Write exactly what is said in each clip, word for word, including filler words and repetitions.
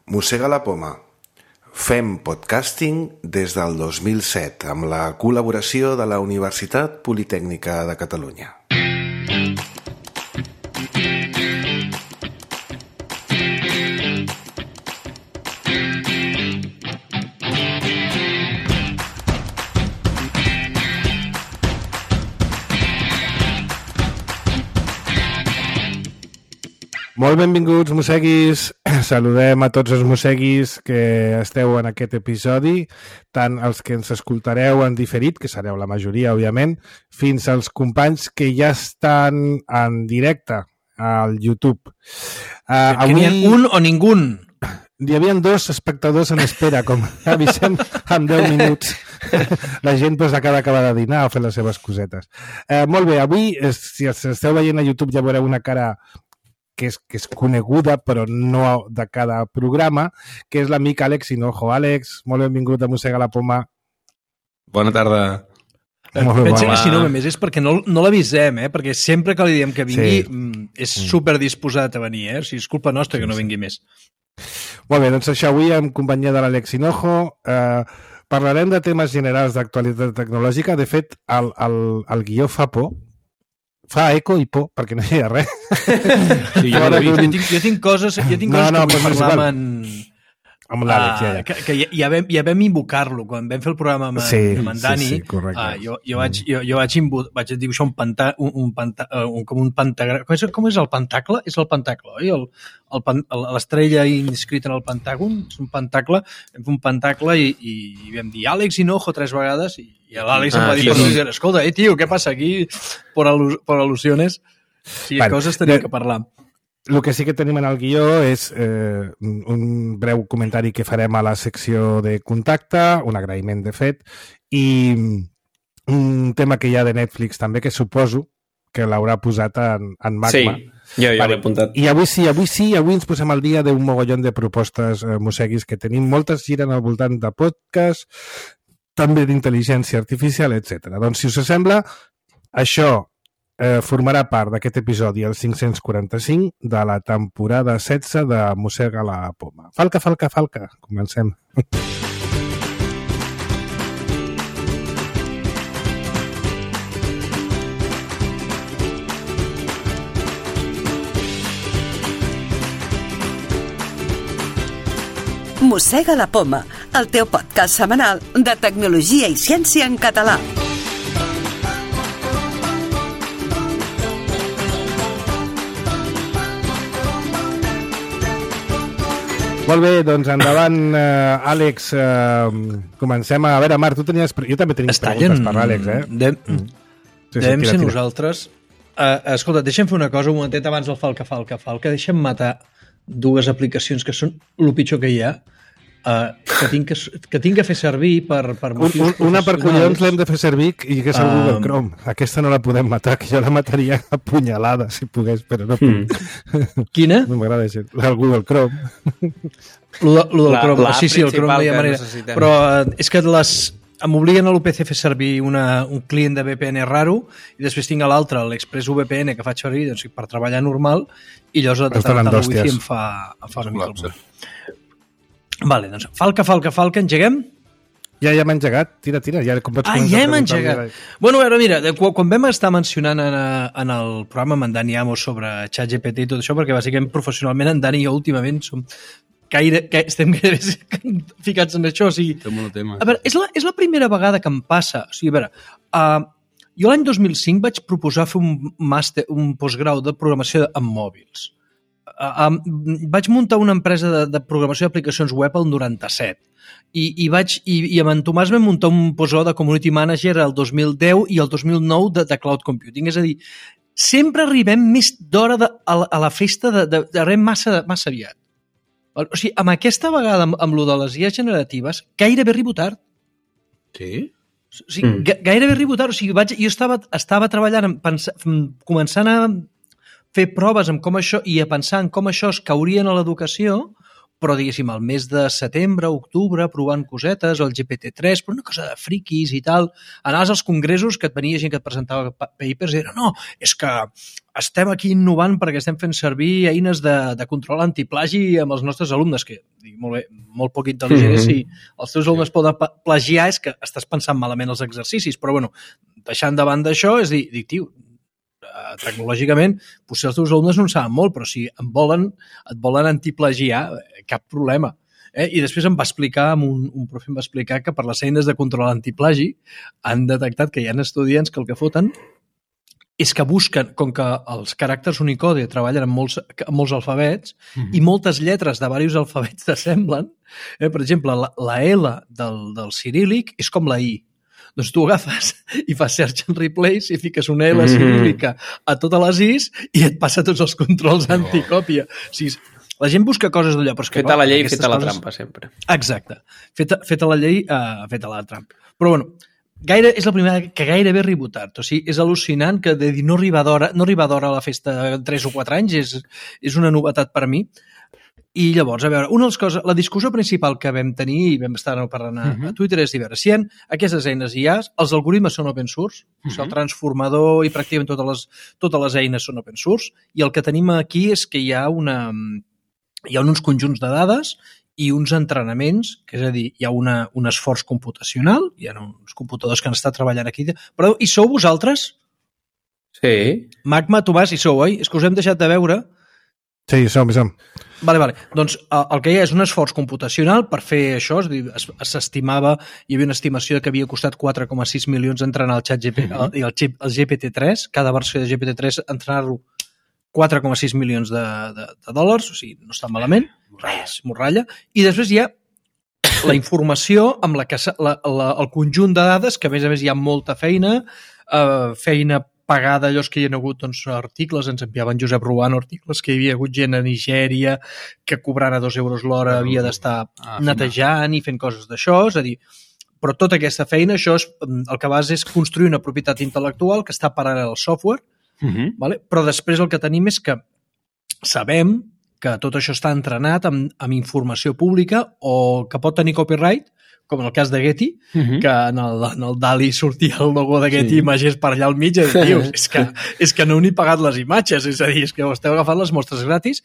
Mossega la poma. Fem podcasting des del dos mil set amb la col·laboració de la Universitat Politècnica de Catalunya. Molt benvinguts, mosseguis. Saludem a tots els mosseguis que esteu en aquest episodi, tant els que ens escoltareu en diferit, que sereu la majoria, òbviament, fins als companys que ja estan en directe al YouTube. Uh, avui... N'hi ha un o ningú? Hi havia dos espectadors en espera, com avisem en deu minuts. La gent pues, acaba d'acabar de dinar o fer les seves cosetes. Uh, molt bé, avui, si esteu veient a YouTube ja veureu una cara que és, que és coneguda, però no de cada programa, que és l'amic Àlex Hinojo. Àlex, molt benvingut a Mossega la poma. Bona tarda. Molt Pensa que si no, a més, és perquè no, no l'avisem, eh? Perquè sempre que li diem que vingui sí. és superdisposat a venir, eh? O sigui, és culpa nostra que no vingui més. Molt bé, doncs això, avui en companyia de l'Àlex Hinojo eh, parlarem de temes generals d'actualitat tecnològica. De fet, el, el, el guió fa por, fa eco i por, perquè no hi ha res. Sí, jo, jo, tinc, jo tinc coses, jo tinc coses no, no, que vull parlar amb, amb l'Àlex, ja, ja. Que, que ja, vam, ja vam invocar-lo quan vam fer el programa amb, sí, amb en Dani. Sí, sí, correcte. Uh, jo, jo, vaig, jo, jo vaig, invo, vaig dibuixar un pantà, un, un pantà, un, com un pentagrama. Com és, com és el pentacle? És el pentacle, oi? El, el, l'estrella inscrita en el pentàgon és un pentacle. Vam fer un pentacle i, i, i vam dir Àlex Hinojo tres vegades i, i l'Àlex ah, em va dir, sí, sí. Escolta, eh, tio, què passa aquí? Per, al, per al·lusiones. Sí, bueno, coses tenim que parlar. El que sí que tenim en el guió és eh, un breu comentari que farem a la secció de contacte, un agraïment de fet, i un tema que hi ha de Netflix també, que suposo que l'haurà posat en, en Magma. Sí, jo ja vale. L'he apuntat. I avui sí, avui sí, avui ens posem al dia d'un mogollon de propostes eh, mosseguis que tenim. Moltes giren al voltant de podcast, també d'intel·ligència artificial, etcètera. Doncs, si us sembla, això Eh, formarà part d'aquest episodi, el cinc-cents quaranta-cinc, de la temporada setze de Mossega la poma. Falca, falca, falca. Comencem. Mossega la poma, el teu podcast setmanal de tecnologia i ciència en català. Molt bé, doncs endavant, eh, Àlex. Eh, comencem a... A veure, Marc, tu tenies... Jo també tenia preguntes per l'Àlex, eh? Dem, mm. sí, Devem sí, ser tira. Nosaltres... Uh, escolta, deixa'm fer una cosa un momentet abans del falca, falca, falca. Deixa'm matar dues aplicacions que són el pitjor que hi ha, uh, que, tinc que, que tinc que fer servir per, per motius un, un, Una per collons l'hem de fer servir i que és el um, Google Chrome. Aquesta no la podem matar, que jo la mataria a punyalada, si pogués, però no puc. Mm. Quina? No m'agrada això. El Google Chrome. Lo, de, lo del la, Chrome. Sí, sí, el Chrome no hi ha manera. Necessitem. Però uh, és que les... m'obliguen a l'U P C a fer servir una, un client de V P N raro i després tinc a l'altre, l'Express V P N, que faig servir doncs, per treballar normal i llavors de tant el wifi em fa, em fa una mica el cul. Vale, doncs, falca, falca, falca, engeguem? Ja, ja m'ha engegat, tira, tira. Ja, com ah, ja hem engegat. Bueno, a veure, mira, quan vam estar mencionant en, en el programa amb en Dani Amos sobre ChatGPT i tot això, perquè bàsicament professionalment en Dani i jo últimament som gaire, que estem gaire ficats en això. O sigui, tema. A veure, és la, és la primera vegada que em passa. O sigui, a veure, uh, jo l'any dos mil cinc vaig proposar fer un màster, un postgrau de programació amb mòbils. Uh, um, vaig muntar una empresa de, de programació d'aplicacions web al noranta-set i, i, vaig, i, i amb en Tomàs vam muntar un postgrau de Community Manager el dos mil deu i el dos mil nou de, de Cloud Computing. És a dir, sempre arribem més d'hora de, a, la, a la festa de, de, de res massa, massa aviat. O sigui, amb aquesta vegada, amb, amb lo de les I A generatives, gairebé arribo tard. Sí? O sigui, mm. gairebé arribo tard. O sigui, vaig, jo estava, estava treballant, pens, començant a fer proves amb com això i a pensar en com això es cauria en l'educació, però diguéssim, al mes de setembre, octubre, provant cosetes, el G P T tres, però una cosa de friquis i tal. Anaves als congressos que et venia gent que et presentava papers i era, no, és que estem aquí innovant perquè estem fent servir eines de, de control antiplagi amb els nostres alumnes, que dic, molt bé, molt poc intel·ligent, mm-hmm. si els teus alumnes poden plagiar és que estàs pensant malament els exercicis, però bueno, deixant davant d'això, és dir, dic, tio, tecnològicament, potser els teus alumnes no en saben molt, però si em volen, et volen antiplagiar, cap problema. Eh? I després em va explicar, un, un profe em va explicar que per les eines de control antiplagi han detectat que hi ha estudiants que el que foten és que busquen, com que els caràcters Unicode treballen amb molts, amb molts alfabets mm-hmm. i moltes lletres de diversos alfabets s'assemblen, eh? Per exemple, la, la L del, del ciríl·lic és com la I. Doncs tu agafes i fas search and replace i fiques una L ciríl·lica a totes les Is i et passa tots els controls anticòpia. O sigui, la gent busca coses d'allò. Feta la llei, feta la trampa, sempre. Exacte. Feta, feta la llei, uh, feta la trampa. Però, bueno, gaire, és la primera que gairebé he rebotat. O sigui, és al·lucinant que de dir no arribar d'hora no arribar d'hora a la festa tres o quatre anys és, és una novetat per mi. I llavors, a veure, una de les coses, la discussió principal que vam tenir i vam estar parlant a, uh-huh. a Twitter és dir, a veure, si hi ha aquestes eines I A, els algoritmes són open source, uh-huh. el transformador i pràcticament totes les, totes les eines són open source, i el que tenim aquí és que hi ha, una, hi ha uns conjunts de dades i uns entrenaments, que és a dir, hi ha una, un esforç computacional, hi ha uns computadors que han estat treballant aquí, però i sou vosaltres? Sí. Magma, Tomàs, hi sou, oi? És que us hem deixat de veure. Sí, som, som. Vale, vale. Doncs el que hi ha és un esforç computacional per fer això, és a dir, s'estimava, hi havia una estimació que havia costat quatre coma sis milions entrenar el xat G P T, mm-hmm. el, el, el G P T tres, cada versió de G P T tres entrenar-lo quatre coma sis milions de, de, de dòlars, o sigui, no està malament, res, morralla, i després hi ha la informació amb la que la, la, el conjunt de dades, que a més a més hi ha molta feina, eh, feina pagada, allò que hi ha hagut doncs, articles, ens enviaven Josep Ruano articles que hi havia hagut gent a Nigèria que cobrant a dos euros l'hora havia d'estar ah, netejant i fent coses d'això, és a dir, però tota aquesta feina, això és, el que vas és construir una propietat intel·lectual que està paral·lel al software, uh-huh. vale? Però després el que tenim és que sabem que tot això està entrenat amb, amb informació pública o que pot tenir copyright, com en el cas de Getty, uh-huh. que en el, en el DALI sortia el logo de Getty sí. Images per allà al mig, i dius, és que, és que no heu ni pagat les imatges, és a dir, és que esteu agafant les mostres gratis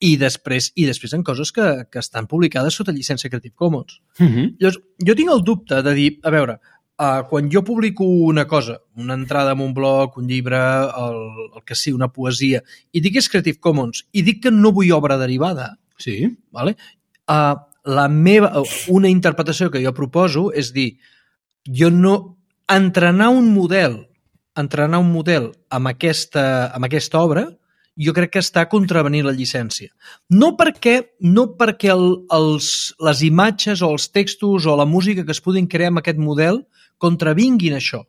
i després i després en coses que, que estan publicades sota llicència Creative Commons. Uh-huh. Llavors, jo tinc el dubte de dir, a veure, uh, quan jo publico una cosa, una entrada en un blog, un llibre, el, el que sigui, una poesia, i dic que és Creative Commons, i dic que no vull obra derivada, sí. vale? Uh, la meva, una interpretació que jo proposo és dir, jo no entrenar un model entrenar un model amb aquesta, amb aquesta obra jo crec que està contravenint la llicència. No perquè, no perquè el, els, les imatges o els textos o la música que es puguin crear amb aquest model contravinguin això,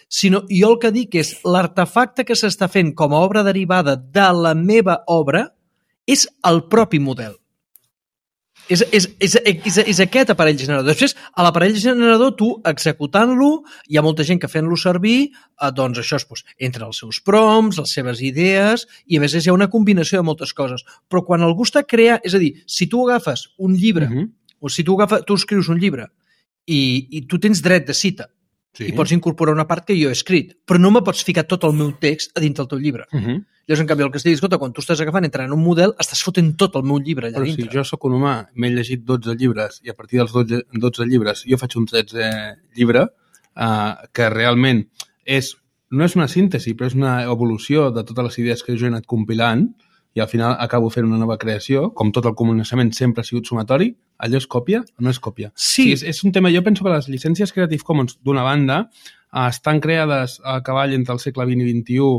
sinó jo el que dic és l'artefacte que s'està fent com a obra derivada de la meva obra és el propi model. És, és, és, és, és aquest aparell generador. Després, a l'aparell generador, tu executant-lo, hi ha molta gent que fent-lo servir, eh, doncs això és, doncs, entre els seus prompts, les seves idees, i a més hi ha una combinació de moltes coses. Però quan algú està creant, és a dir, si tu agafes un llibre, uh-huh. o si tu, agafes, tu escrius un llibre i, i tu tens dret de cita, sí. i pots incorporar una part que jo he escrit, però no me pots ficar tot el meu text a dintre del teu llibre. Uh-huh. Llavors, en canvi, el que es diu, escolta, quan tu estàs agafant entrant en un model, estàs fotent tot el meu llibre allà però dintre. Però si jo sóc un humà, m'he llegit dotze llibres, i a partir dels dotze, dotze llibres jo faig un tretze llibre, eh, que realment és, no és una síntesi, però és una evolució de totes les idees que jo he anat compilant, i al final acabo fent una nova creació, com tot el coneixement sempre ha sigut sumatori, allò és còpia o no és còpia? Sí. sí és, és un tema, jo penso que les llicències Creative Commons, d'una banda, eh, estan creades a cavall entre el segle vint i vint-i-u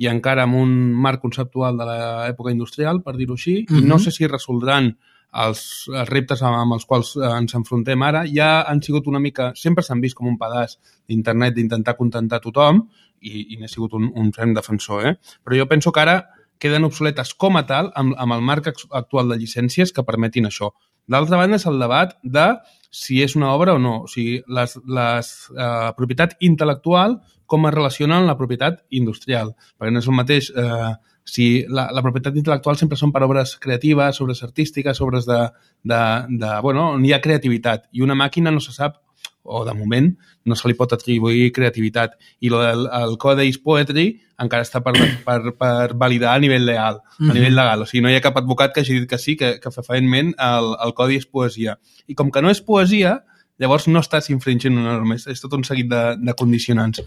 i encara amb un marc conceptual de l'època industrial, per dir-ho així, uh-huh. i no sé si resoldran els, els reptes amb els quals ens enfrontem ara. Ja han sigut una mica, sempre s'han vist com un pedaç d'internet d'intentar contentar tothom, i, i n'he sigut un, un ferm defensor, eh? Però jo penso que ara queden obsoletes com a tal amb, amb el marc actual de llicències que permetin això. D'altra banda és el debat de si és una obra o no, o sigui, la eh, propietat intel·lectual com es relaciona amb la propietat industrial, perquè no és el mateix eh, si la, la propietat intel·lectual sempre són per obres creatives, obres artístiques, obres de, de, de... Bueno, on hi ha creativitat. I una màquina no se sap, o de moment, no se li pot atribuir creativitat. I el, el, el code is poetry encara està per, per, per validar a nivell legal, mm-hmm. a nivell legal. O sigui, no hi ha cap advocat que hagi dit que sí, que, que fefaentment el, el codi és poesia. I com que no és poesia, llavors no estàs infringint una norma, és, és tot un seguit de, de condicionants.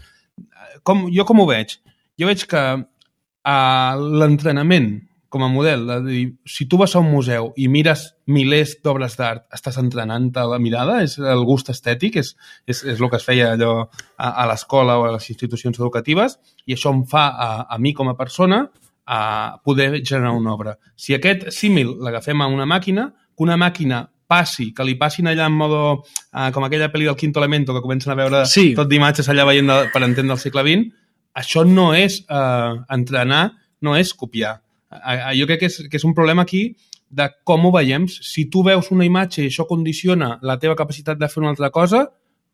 Com, jo com ho veig? Jo veig que uh, l'entrenament com a model, de dir, si tu vas a un museu i mires milers d'obres d'art, estàs entrenant-te la mirada, és el gust estètic, és, és, és el que es feia allò a, a l'escola o a les institucions educatives, i això em fa a, a mi com a persona a poder generar una obra. Si aquest símil l'agafem a una màquina, que una màquina passi, que li passin allà en modo, uh, com aquella pel·li del Quinto Elemento, que comencen a veure sí. tot d'imatges allà veient de, per entendre el segle vint, això no és uh, entrenar, no és copiar. Uh, jo crec que és, que és un problema aquí de com ho veiem. Si tu veus una imatge i això condiciona la teva capacitat de fer una altra cosa,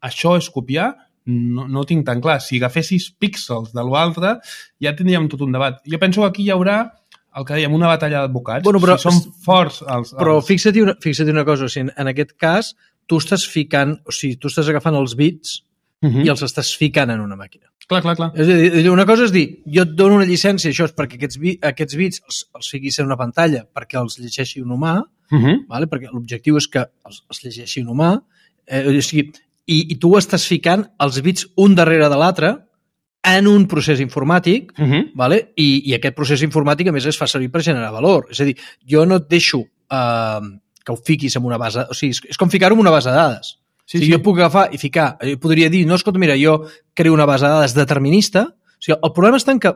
això és copiar? No, no ho tinc tan clar. Si agafessis píxels de l'altre, ja tindríem tot un debat. Jo penso que aquí hi haurà el que dèiem, una batalla d'advocats. Bueno, però, si són forts els... els... Però fixa't una, fixa't una cosa, o sigui, en aquest cas tu estàs ficant, o sigui, tu estàs agafant els bits uh-huh. i els estàs ficant en una màquina. Clar, clar, clar. És a dir, una cosa és dir, jo et dono una llicència, això és perquè aquests, bi, aquests bits els, els fiquis en una pantalla perquè els llegeixi un humà, uh-huh. vale? Perquè l'objectiu és que els, els llegeixi un humà, eh, o sigui, i, i tu estàs ficant els bits un darrere de l'altre en un procés informàtic, uh-huh. vale? I, i aquest procés informàtic, a més, es fa servir per generar valor. És a dir, jo no et deixo eh, que ho fiquis en una base... O sigui, és, és com ficar-ho en una base de dades. Sí, o sigui, sí. Jo puc agafar i ficar... Jo podria dir, no, escolta, mira, jo creo una base de dades determinista. O sigui, el problema està en que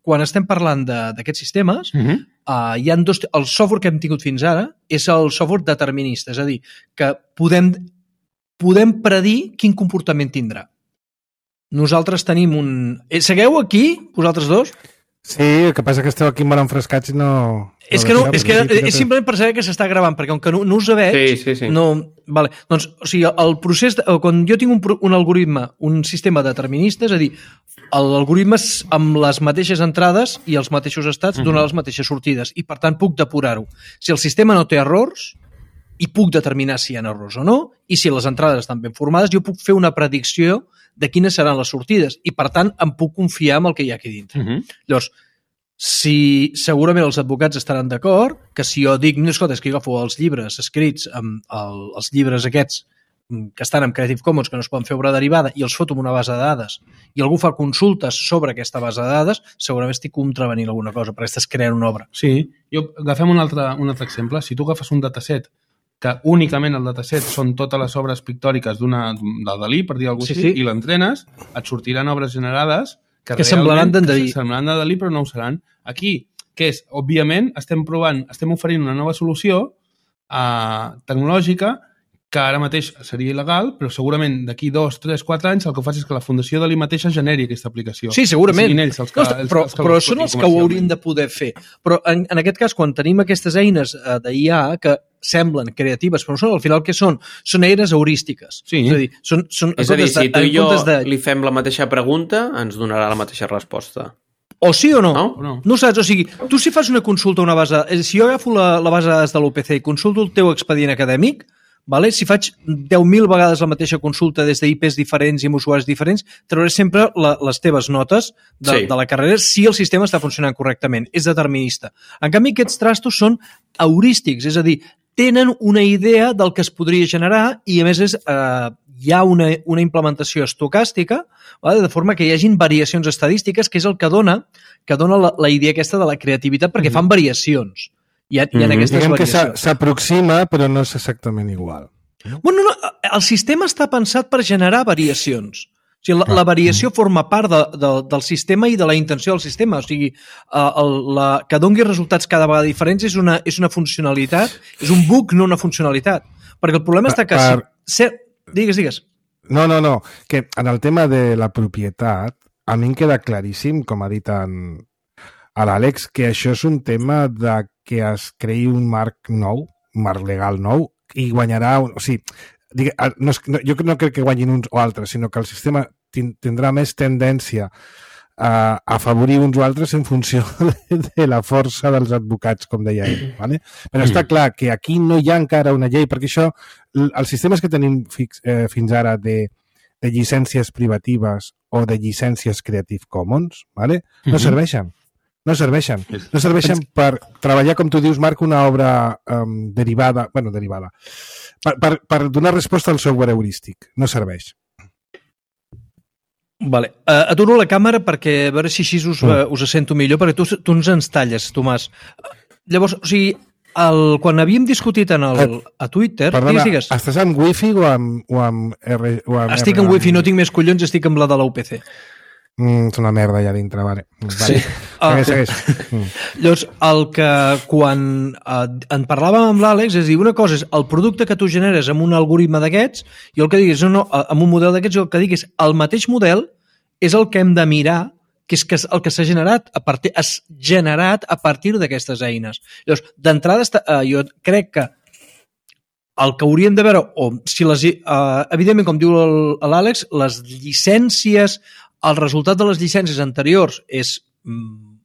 quan estem parlant d'aquests sistemes, uh-huh. uh, hi ha dos... El software que hem tingut fins ara és el software determinista. És a dir, que podem, podem predir quin comportament tindrà. Nosaltres tenim un... Segueu aquí, vosaltres dos? Sí, el que passa que esteu aquí molt enfrescats i no... És que no, és que és simplement per saber que s'està gravant, perquè com que no, no us veig... Sí, sí, sí. No, vale. Doncs, o sigui, el procés... De, quan jo tinc un, un algoritme, un sistema determinista, és a dir, l'algoritme amb les mateixes entrades i els mateixos estats uh-huh. dona les mateixes sortides, i per tant puc depurar-ho. Si el sistema no té errors, i puc determinar si hi ha errors o no, i si les entrades estan ben formades, jo puc fer una predicció de quines seran les sortides, i per tant em puc confiar en el que hi ha aquí dintre. Uh-huh. Llavors, si segurament els advocats estaran d'acord que si jo dic, no, escolta, és que jo agafo els llibres escrits amb el, els llibres aquests que estan amb Creative Commons, que no es poden fer obra derivada, i els foto en una base de dades, i algú fa consultes sobre aquesta base de dades, segurament estic contravenint alguna cosa, perquè estàs creant una obra. Sí, jo, agafem un altre, un altre exemple. Si tu agafes un dataset que únicament el dataset són totes les obres pictòriques d'una del Dalí, per dir alguna cosa sí, així, sí. i l'entrenes, et sortiran obres generades que, que semblaran d'en Dalí. Semblaran de Dalí, però no ho seran. Aquí, que és, òbviament, estem provant, estem oferint una nova solució eh, tecnològica que ara mateix seria il·legal, però segurament d'aquí dos, tres, quatre anys el que fa és que la Fundació Dalí mateixa generi aquesta aplicació. Sí, segurament. Ells els que, no, els, però els que però són els que ho haurien de poder fer. Però en, en aquest cas, quan tenim aquestes eines eh, d'I A que semblen creatives, però no són, al final què són? Són eines heurístiques. Sí. És a dir, són, són, és a dir si de, tu i jo de... li fem la mateixa pregunta, ens donarà la mateixa resposta. O sí o no. No? No, no saps, o sigui, tu si fas una consulta a una base... Si jo agafo la, la base de dades de l'U P C i consulto el teu expedient acadèmic, vale? Si faig deu mil vegades la mateixa consulta des d'I Ps diferents i amb usuaris diferents, trauré sempre la, les teves notes de, sí. de la carrera si el sistema està funcionant correctament. És determinista. En canvi, aquests trastos són heurístics, és a dir, tenen una idea del que es podria generar i, a més, és, eh, hi ha una, una implementació estocàstica, vale? De forma que hi hagin variacions estadístiques, que és el que dona, que dona la, la idea aquesta de la creativitat, perquè mm-hmm. fan variacions. Hi ha, hi ha aquestes Diguem variacions. Que s'aproxima, però no és exactament igual. Bueno, no, el sistema està pensat per generar variacions. O sigui, la, la variació forma part de, de, del sistema i de la intenció del sistema. O sigui, el, la, que doni resultats cada vegada diferents és una, és una funcionalitat, és un bug, no una funcionalitat. Perquè el problema està que... Per... Si, digues, digues. No, no, no. Que en el tema de la propietat, a mi em queda claríssim, com ha dit en, a l'Àlex, que això és un tema de que es creï un marc nou, un marc legal nou, i guanyarà... Un, o sigui, digue, no, no, jo no crec que guanyin uns o altres, sinó que el sistema tindrà més tendència a afavorir uns o altres en funció de la força dels advocats, com deia ell. Vale? Però està clar que aquí no hi ha encara una llei, perquè això, els sistemes que tenim fix, eh, fins ara de, de llicències privatives o de llicències Creative Commons, vale? No serveixen. No serveixen. No serveixen per treballar, com tu dius, Marc, una obra um, derivada, bueno, derivada, per, per, per donar resposta al software heurístic. No serveix. Vale. Uh, aturo la càmera perquè a veure si així us, uh, us sento millor, perquè tu, tu ens ens talles, Tomàs. Llavors, o sigui, el, quan havíem discutit en el, a Twitter... Perdona, digues, digues. estàs amb wifi o amb, o amb, R, o amb Estic R, amb wifi, no tinc més collons, estic amb la de la U P C. Mm, és una merda allà dintre, vale. vale. Sí. Segueix, segueix. Mm. Llavors, el que quan eh, en parlàvem amb l'Àlex és dir, una cosa és el producte que tu generes amb un algoritme d'aquests i el que diguis, no, no, amb un model d'aquests, el que diguis, el mateix model és el que hem de mirar, que és que el que s'ha generat a partir, has generat a partir d'aquestes eines. Llavors, d'entrada, eh, jo crec que el que hauríem de veure, o si les, eh, evidentment, com diu l'Àlex, les llicències, el resultat de les llicències anteriors és mm,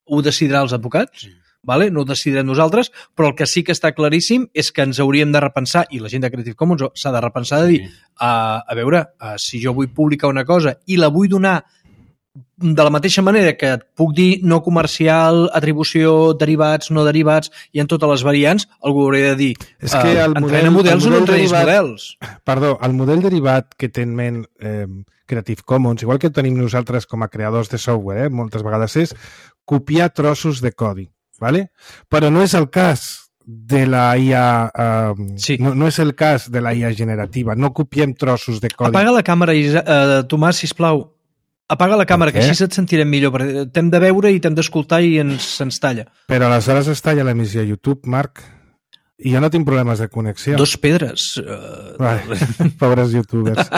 ho decidiran els advocats, vale? No ho decidirem nosaltres, però el que sí que està claríssim és que ens hauríem de repensar, i la gent de Creative Commons s'ha de repensar, de dir, uh, a veure, uh, si jo vull publicar una cosa i la vull donar de la mateixa manera que et puc dir no comercial, atribució, derivats, no derivats, i en totes les variants, algú hauria de dir, és que el uh, model, entrena models el o no model entrenis derivat, models. Perdó, el model derivat que té en ment eh, Creative Commons, igual que tenim nosaltres com a creadors de software, eh, moltes vegades és copiar trossos de codi, ¿vale? Però no és el cas de la I A, eh, sí. no, no és el cas de la I A generativa, no copiem trossos de codi. Apaga la càmera, uh, Tomàs, sisplau. Apaga la càmera, que així et sentirem millor, perquè t'hem de veure i t'hem d'escoltar i ens, ens talla. Però aleshores es talla l'emissió a YouTube, Marc, i jo no tinc problemes de connexió. Dos pedres. Uh... Vale. Pobres youtubers.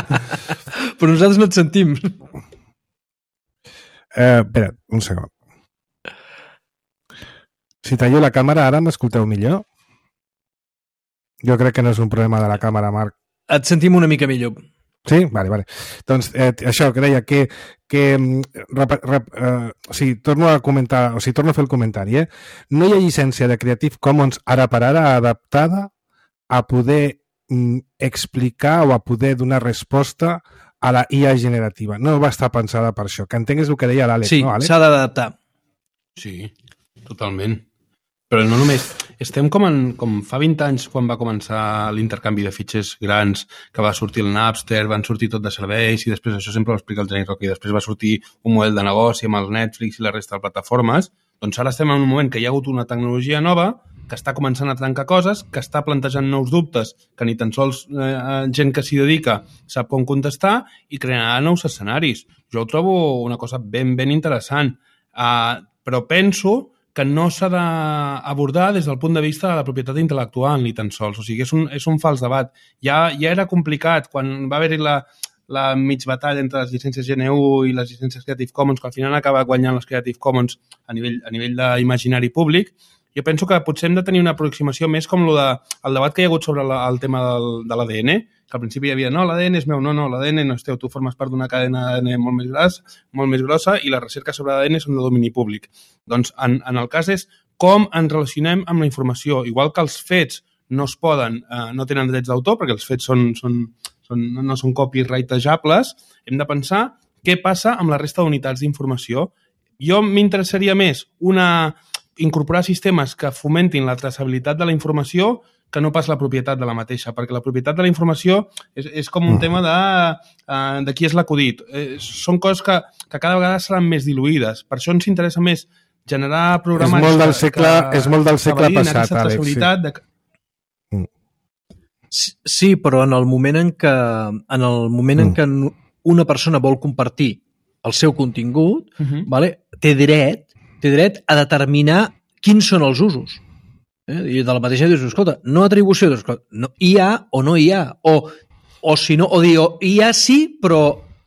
Però nosaltres no et sentim. Eh, espera, un segon. Si tallo la càmera, ara m'escolteu millor? Jo crec que no és un problema de la càmera, Marc. Et sentim una mica millor. Sí? Vale, vale. Doncs eh, això que deia, que, que rep, rep, eh, o sigui, torno a comentar, o sigui, torno a fer el comentari, eh? No hi ha llicència de Creative Commons ara per ara adaptada a poder mm, explicar o a poder donar resposta a la I A generativa. No va estar pensada per això. Que entengues el que deia l'Àlex, sí, no, Àlex? Sí, s'ha d'adaptar. Sí, totalment. Però no només... Estem com, en, com fa vint anys, quan va començar l'intercanvi de fitxers grans, que va sortir el Napster, van sortir tot de serveis, i després això sempre ho explica el Jenny Roca, i després va sortir un model de negoci amb el Netflix i la resta de plataformes. Doncs ara estem en un moment que hi ha hagut una tecnologia nova que està començant a trencar coses, que està plantejant nous dubtes, que ni tan sols eh, gent que s'hi dedica sap com contestar, i crearà nous escenaris. Jo ho trobo una cosa ben, ben interessant. Uh, però penso que no s'ha d'abordar des del punt de vista de la propietat intel·lectual ni tan sols. O sigui, és un, és un fals debat. Ja, ja era complicat quan va haver-hi la, la mig batalla entre les llicències G N U i les llicències Creative Commons, que al final acaba guanyant les Creative Commons a nivell, a nivell d'imaginari públic. Jo penso que potser hem de tenir una aproximació més com lo de, el debat que hi ha hagut sobre la, el tema del, de l'A D N, que al principi hi havia, no, l'A D N és meu, no, no, l'A D N no és teu, tu formes part d'una cadena A D N molt més grossa, molt més grossa, i la recerca sobre l'A D N són de domini públic. Doncs en, en el cas és com ens relacionem amb la informació. Igual que els fets no es poden, eh, no tenen drets d'autor, perquè els fets són, són, són, no són copyrightejables, hem de pensar què passa amb la resta d'unitats d'informació. Jo m'interessaria més una... incorporar sistemes que fomentin la traçabilitat de la informació que no pas la propietat de la mateixa, perquè la propietat de la informació és, és com un tema de, uh, de qui és l'acudit. Eh, són coses que, que cada vegada seran més diluïdes. Per això ens interessa més generar programes... És molt del segle, que, és molt del segle passat, Àlex. Sí. De... sí, però en el moment en què, en el moment en què una persona vol compartir el seu contingut, uh-huh. vale, té dret té dret a determinar quins són els usos. Eh? I de la mateixa dius, escolta, no atribució, doncs, no, hi ha o no hi ha, o, o si no, o dir, o, hi ha sí, però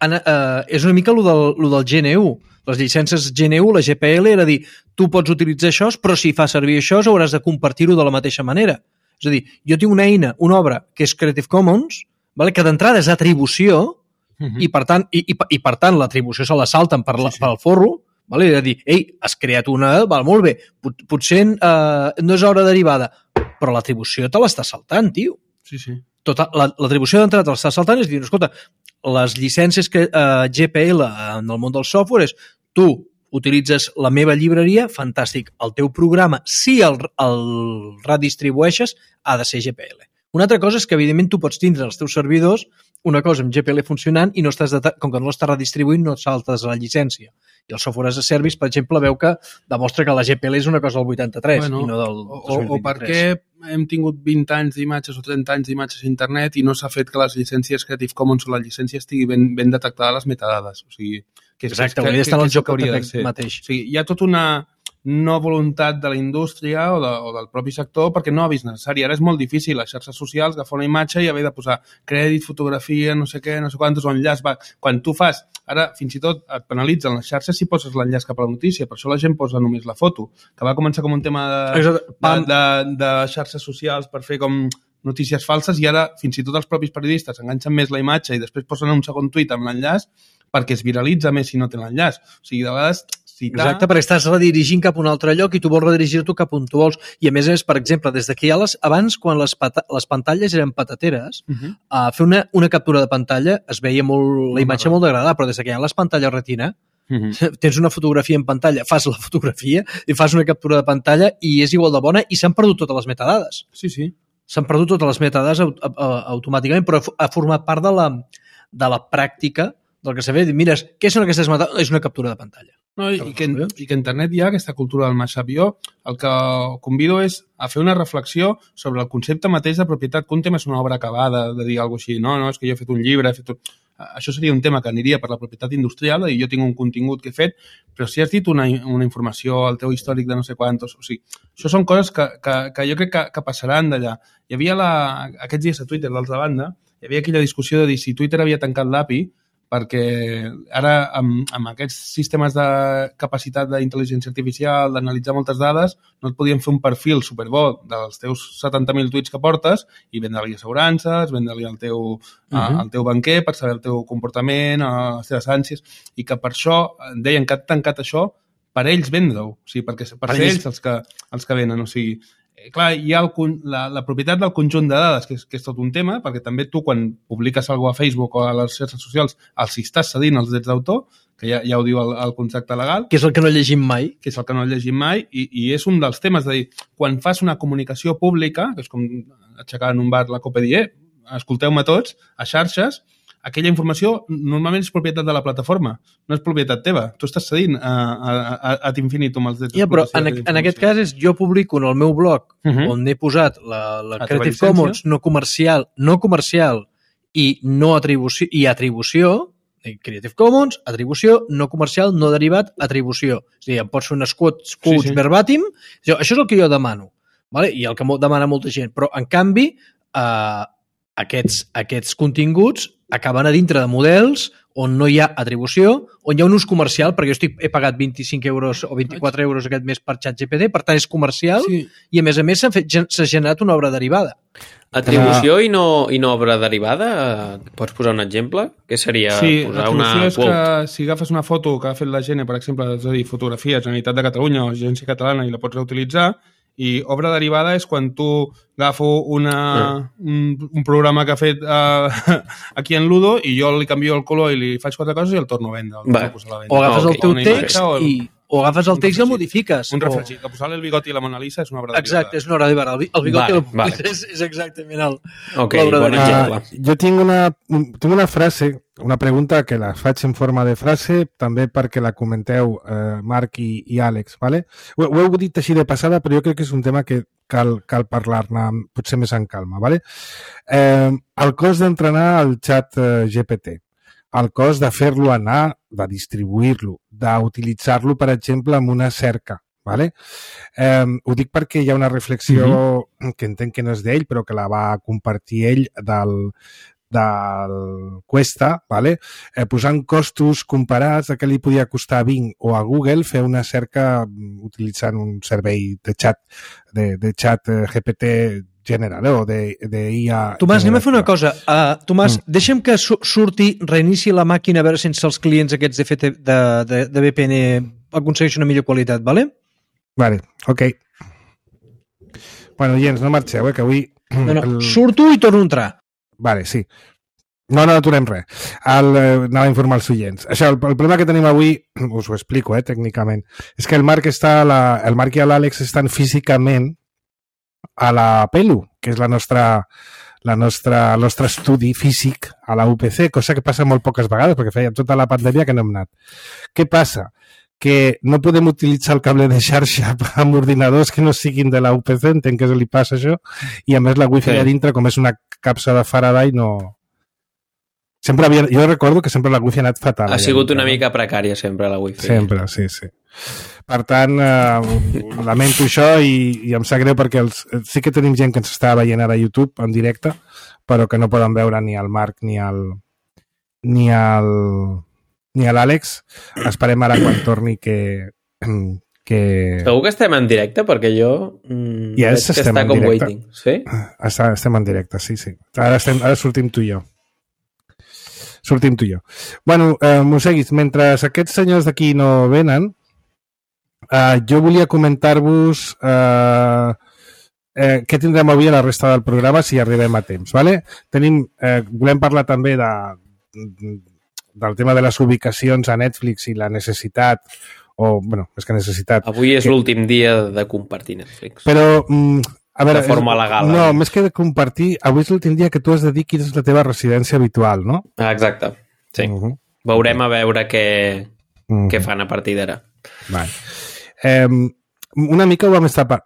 en, eh, és una mica el del, lo del G N U. Les llicències G N U, la G P L, era dir, tu pots utilitzar això, però si fa servir això, hauràs de compartir-ho de la mateixa manera. És a dir, jo tinc una eina, una obra, que és Creative Commons, vale? Que d'entrada és atribució, uh-huh. i, per tant, i, i, i per tant l'atribució se la salten per, la, sí, sí. per al forro, vale? I de dir, ei, has creat una, val, molt bé, pot, potser eh, no és hora derivada, però l'atribució te l'està saltant, tio. Sí, sí. Tota, l'atribució d'entrada te l'està saltant és dir, escolta, les llicències que eh, G P L en el món del software és tu utilitzes la meva llibreria, fantàstic, el teu programa, si el, el redistribueixes, ha de ser G P L. Una altra cosa és que, evidentment, tu pots tindre els teus servidors una cosa amb G P L funcionant i no estàs de, com que no l'estàs redistribuint no et saltes a la llicència. I el software as a service, per exemple, veu que demostra que la G P L és una cosa del vuitanta-tres bueno, i no del o, dos mil vint-i-tres. O per què hem tingut vint anys d'imatges o trenta anys d'imatges a internet i no s'ha fet que les llicències Creative Commons o la llicència estigui ben, ben detectada les metadades. O sigui, que és, exacte, que, hauria d'estar en el joc que mateix. O sigui, hi ha tota una no voluntat de la indústria o, de, o del propi sector perquè no ha vist necessari. Ara és molt difícil a xarxes socials agafar una imatge i haver de posar crèdit, fotografia, no sé què, no sé quantos, o enllaç. Va. Quan tu fas, ara fins i tot et penalitzen les xarxes si poses l'enllaç cap a la notícia, per això la gent posa només la foto, que va començar com un tema de, de, de, de xarxes socials per fer com notícies falses i ara fins i tot els propis periodistes enganxen més la imatge i després posen un segon tuit amb l'enllaç perquè es viralitza més si no té l'enllaç. O sigui, de vegades citar... Exacte, perquè estàs redirigint cap a un altre lloc i tu vols redirigir-t'ho cap on tu vols. I a més a més, per exemple, des que hi ha les... Abans, quan les, pata... les pantalles eren patateres, uh-huh. a fer una, una captura de pantalla es veia molt, la imatge molt degradada, però des que hi ha les pantalles retina, uh-huh. tens una fotografia en pantalla, fas la fotografia i fas una captura de pantalla i és igual de bona i s'han perdut totes les metadades. Sí, sí. S'han perdut totes les metadades automàticament, però ha format part de la, de la pràctica del que s'ha fet. Mira, què són aquestes metadades? És una captura de pantalla. No, i, i, que, I que a internet hi ha aquesta cultura del mashup. Jo el que convido és a fer una reflexió sobre el concepte mateix de propietat, que un tema és una obra acabada, de dir alguna cosa així, no, no, és que jo he fet un llibre, he fet un... Això seria un tema que aniria per la propietat industrial i jo tinc un contingut que he fet, però si has dit una, una informació al teu històric de no sé quantos, o sigui, això són coses que, que, que jo crec que, que passaran d'allà. Hi havia la, aquests dies a Twitter, d'altra banda, hi havia aquella discussió de dir si Twitter havia tancat l'A P I perquè ara amb, amb aquests sistemes de capacitat d'intel·ligència artificial, d'analitzar moltes dades, no et podien fer un perfil superbo dels teus setanta mil tuits que portes i vendre-li assegurances, vendre-li al teu, uh-huh. a, al teu banquer per saber el teu comportament, les teves ànsies, i que per això deien que han tancat això per ells vendre-ho, o sigui, perquè per, per ser ells els que, els que venen, o sigui, clar, hi ha el, la, la propietat del conjunt de dades, que és, que és tot un tema, perquè també tu, quan publiques alguna cosa a Facebook o a les xarxes socials, els hi estàs cedint els drets d'autor, que ja, ja ho diu el, el contracte legal. Que és el que no llegim mai. Que és el que no llegim mai, i, i és un dels temes de dir, quan fas una comunicació pública, que és com aixecar en un bar la copa i dir, eh, escolteu-me tots, a xarxes, aquella informació normalment és propietat de la plataforma, no és propietat teva. Tu estàs cedint a, a, a, a infinitum els drets. Ja, però en, en aquest cas és jo publico en el meu blog uh-huh. on he posat la, la Creative Commons no comercial, no comercial i no atribució, i atribució, Creative Commons, atribució, no comercial, no derivat, atribució. És a dir, em pots fer unes quotes, quotes sí, sí. verbatim, això és el que jo demano, vale? I el que demana molta gent, però en canvi eh, aquests, aquests continguts acaben a dintre de models on no hi ha atribució, on hi ha un ús comercial, perquè jo estic, he pagat vint-i-cinc euros o vint-i-quatre euros aquest mes per ChatGPT, per tant és comercial, sí. I a més a més s'ha, fet, s'ha generat una obra derivada. Atribució ah. i, no, i no obra derivada? Pots posar un exemple? Què seria sí, posar una quote? Sí, l'atribució és que si agafes una foto que ha fet la Gene, per exemple, és a dir, fotografia, Generalitat de Catalunya o Agència Catalana i la pots reutilitzar, i obra derivada és quan tu agafo una, mm. un, un programa que ha fet uh, aquí en Ludo i jo li canvio el color i li faig quatre coses i el torno a vendre. Va. A o agafes okay. el teu text o el, i... O agafes el text i el modifiques. Un refregit. O... Que posar-li el bigoti i la Mona Lisa és una obra derivada. Exacte, és una obra derivada. El bigoti vale, i la Mona vale. Lisa és, és exactament el, okay, l'obra bon derivada. Uh, jo tinc una, tinc una frase, una pregunta que la faig en forma de frase, també perquè la comenteu uh, Marc i, i Àlex. Vale? Ho, ho heu dit així de passada, però jo crec que és un tema que cal, cal parlar-ne potser més en calma. Vale? Eh, el cost d'entrenar el xat uh, G P T, el cost de fer-lo anar, de distribuir-lo, d'utilitzar-lo, per exemple, amb una cerca. Vale? Eh, ho dic perquè hi ha una reflexió uh-huh. que entenc que no és d'ell, però que la va compartir ell del, del Cuesta, vale? eh, posant costos comparats a què li podia costar a Bing o a Google fer una cerca utilitzant un servei de xat, de, de xat G P T general, eh? O de, de I A... Tomàs, anem a fer una cosa. Uh, Tomàs, mm. deixa'm que su surti, reinici la màquina a veure sense els clients aquests de, F T, de, de, de V P N aconsegueixen una millor qualitat, vale? Vale, ok. Bueno, gens, no marxeu, eh, que avui... No, no, el... surto i torno a entrar. Vale, sí. No, no aturem res. El, eh, anava a informar els oients. Això, el, el problema que tenim avui, us ho explico, eh, tècnicament, és que el Marc està, la, el Marc i l'Àlex estan físicament a la Pelu, que és la nostra, la nostra, el nostre estudi físic a la U P C, cosa que passa molt poques vegades, perquè feia tota la pandèmia que no hem anat. Què passa? Que no podem utilitzar el cable de xarxa amb ordinadors que no siguin de la U P C, entenc que li passa això, i a més la wifi sí. a dintre, com és una capsa de Faraday, no... Sempre havia... Jo recordo que sempre la wifi ha anat fatal. Ha sigut una mica precària sempre la wifi. Sempre, sí, sí. Per tant, eh, lamento això i, i em sap greu perquè els, sí que tenim gent que ens està veient ara a YouTube en directe, però que no poden veure ni el Marc ni el ni el ni a l'Àlex. Esperem ara quan torni que... que... Segur que estem en directe? Perquè jo mm, ja veig que està com directe. Waiting. Sí? Està, estem en directe, sí, sí. Ara, estem, ara sortim tu i jo. Sortim tu i jo. Bueno, eh, Moseguis, mentre aquests senyors d'aquí no venen, eh, jo volia comentar-vos eh, eh, què tindrem avui a la resta del programa si arribem a temps. Vale? Tenim, eh, volem parlar també de, del tema de les ubicacions a Netflix i la necessitat, o, bueno, més que necessitat... Avui és que... l'últim dia de compartir Netflix. Però... Mm, a veure, de forma legal. No, eh? Més que de compartir, avui és l'últim dia que tu has de dir quina és la teva residència habitual, no? Ah, exacte, sí. Uh -huh. Veurem a veure què, uh -huh. què fan a partir d'ara. Vale. Eh, una mica ho vam estar par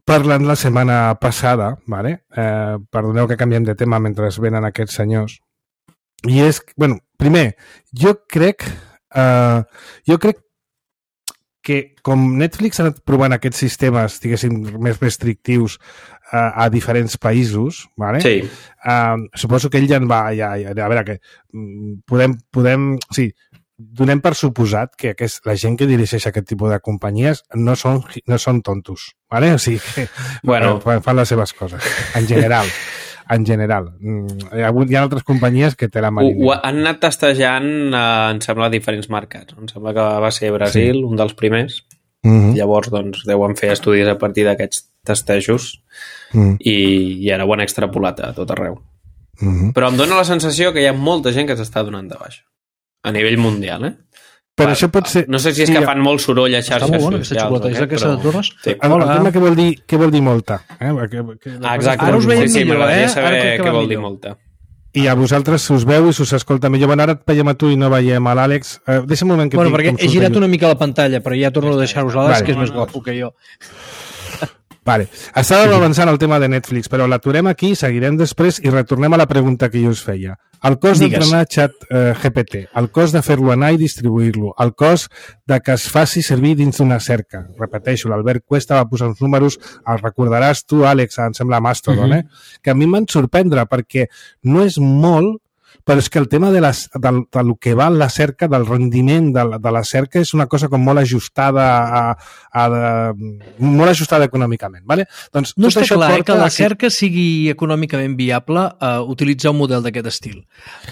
parlant la setmana passada, vale? Eh, perdoneu que canviem de tema mentre venen aquests senyors. I és, bueno, primer, jo crec, eh, jo crec que com Netflix ha anat provant aquests sistemes, diguéssim, més restrictius uh, a diferents països, vale? Sí. Uh, suposo que ell ja en va... Ja, ja, a veure, que podem... podem sí, donem per suposat que aquest, la gent que dirigeix aquest tipus de companyies no són, no són tontos, vale? O sigui que bueno. fan, fan les seves coses, en general. En general. Hi ha, hi ha altres companyies que te la marinen. Ho, ho han anat testejant, eh, em sembla, a diferents mercats. Em sembla que va ser Brasil, sí. un dels primers. Mm-hmm. Llavors, doncs, deuen fer estudis a partir d'aquests testejos mm-hmm. i, i ara ho han extrapolat a tot arreu. Mm-hmm. Però em dóna la sensació que hi ha molta gent que s'està donant de baixa. A nivell mundial, eh? Però això pot ser... No sé si és sí, que fan molt soroll a xarxes socials. Està molt bona aquesta xocolata, és aquesta de Torres? Sí. El, el tema que vol dir, què vol dir molta? Eh? Que, que, ah, exacte. Ara us veiem sí, sí, millor, eh? saber què vol millor. dir molta. I a vosaltres us veu i us escolta millor. Bueno, ara et veiem a tu i no veiem a l'Àlex. Uh, deixa'm un moment que... Bueno, perquè he girat una mica la pantalla, però ja torno a deixar-vos a l'Àlex, vale. que és més guapo que jo. Vale. Estàvem avançant el tema de Netflix, però l'aturem aquí, seguirem després i retornem a la pregunta que jo us feia. El cost d'entrenar xat eh, G P T, el cost de fer-lo anar i distribuir-lo, el cost de que es faci servir dins d'una cerca. Repeteixo, l'Albert Cuesta va posar uns números, el recordaràs tu, Àlex, em sembla Mastodon, uh-huh. eh? Que a mi m'han sorprendre perquè no és molt, però és que el tema de, les, de, de lo que val la cerca, del rendiment de la, de la cerca, és una cosa com molt ajustada a, a, a, molt ajustada econòmicament. Vale? Doncs, no està clar eh, que la cerca aquí... sigui econòmicament viable uh, utilitzar un model d'aquest estil.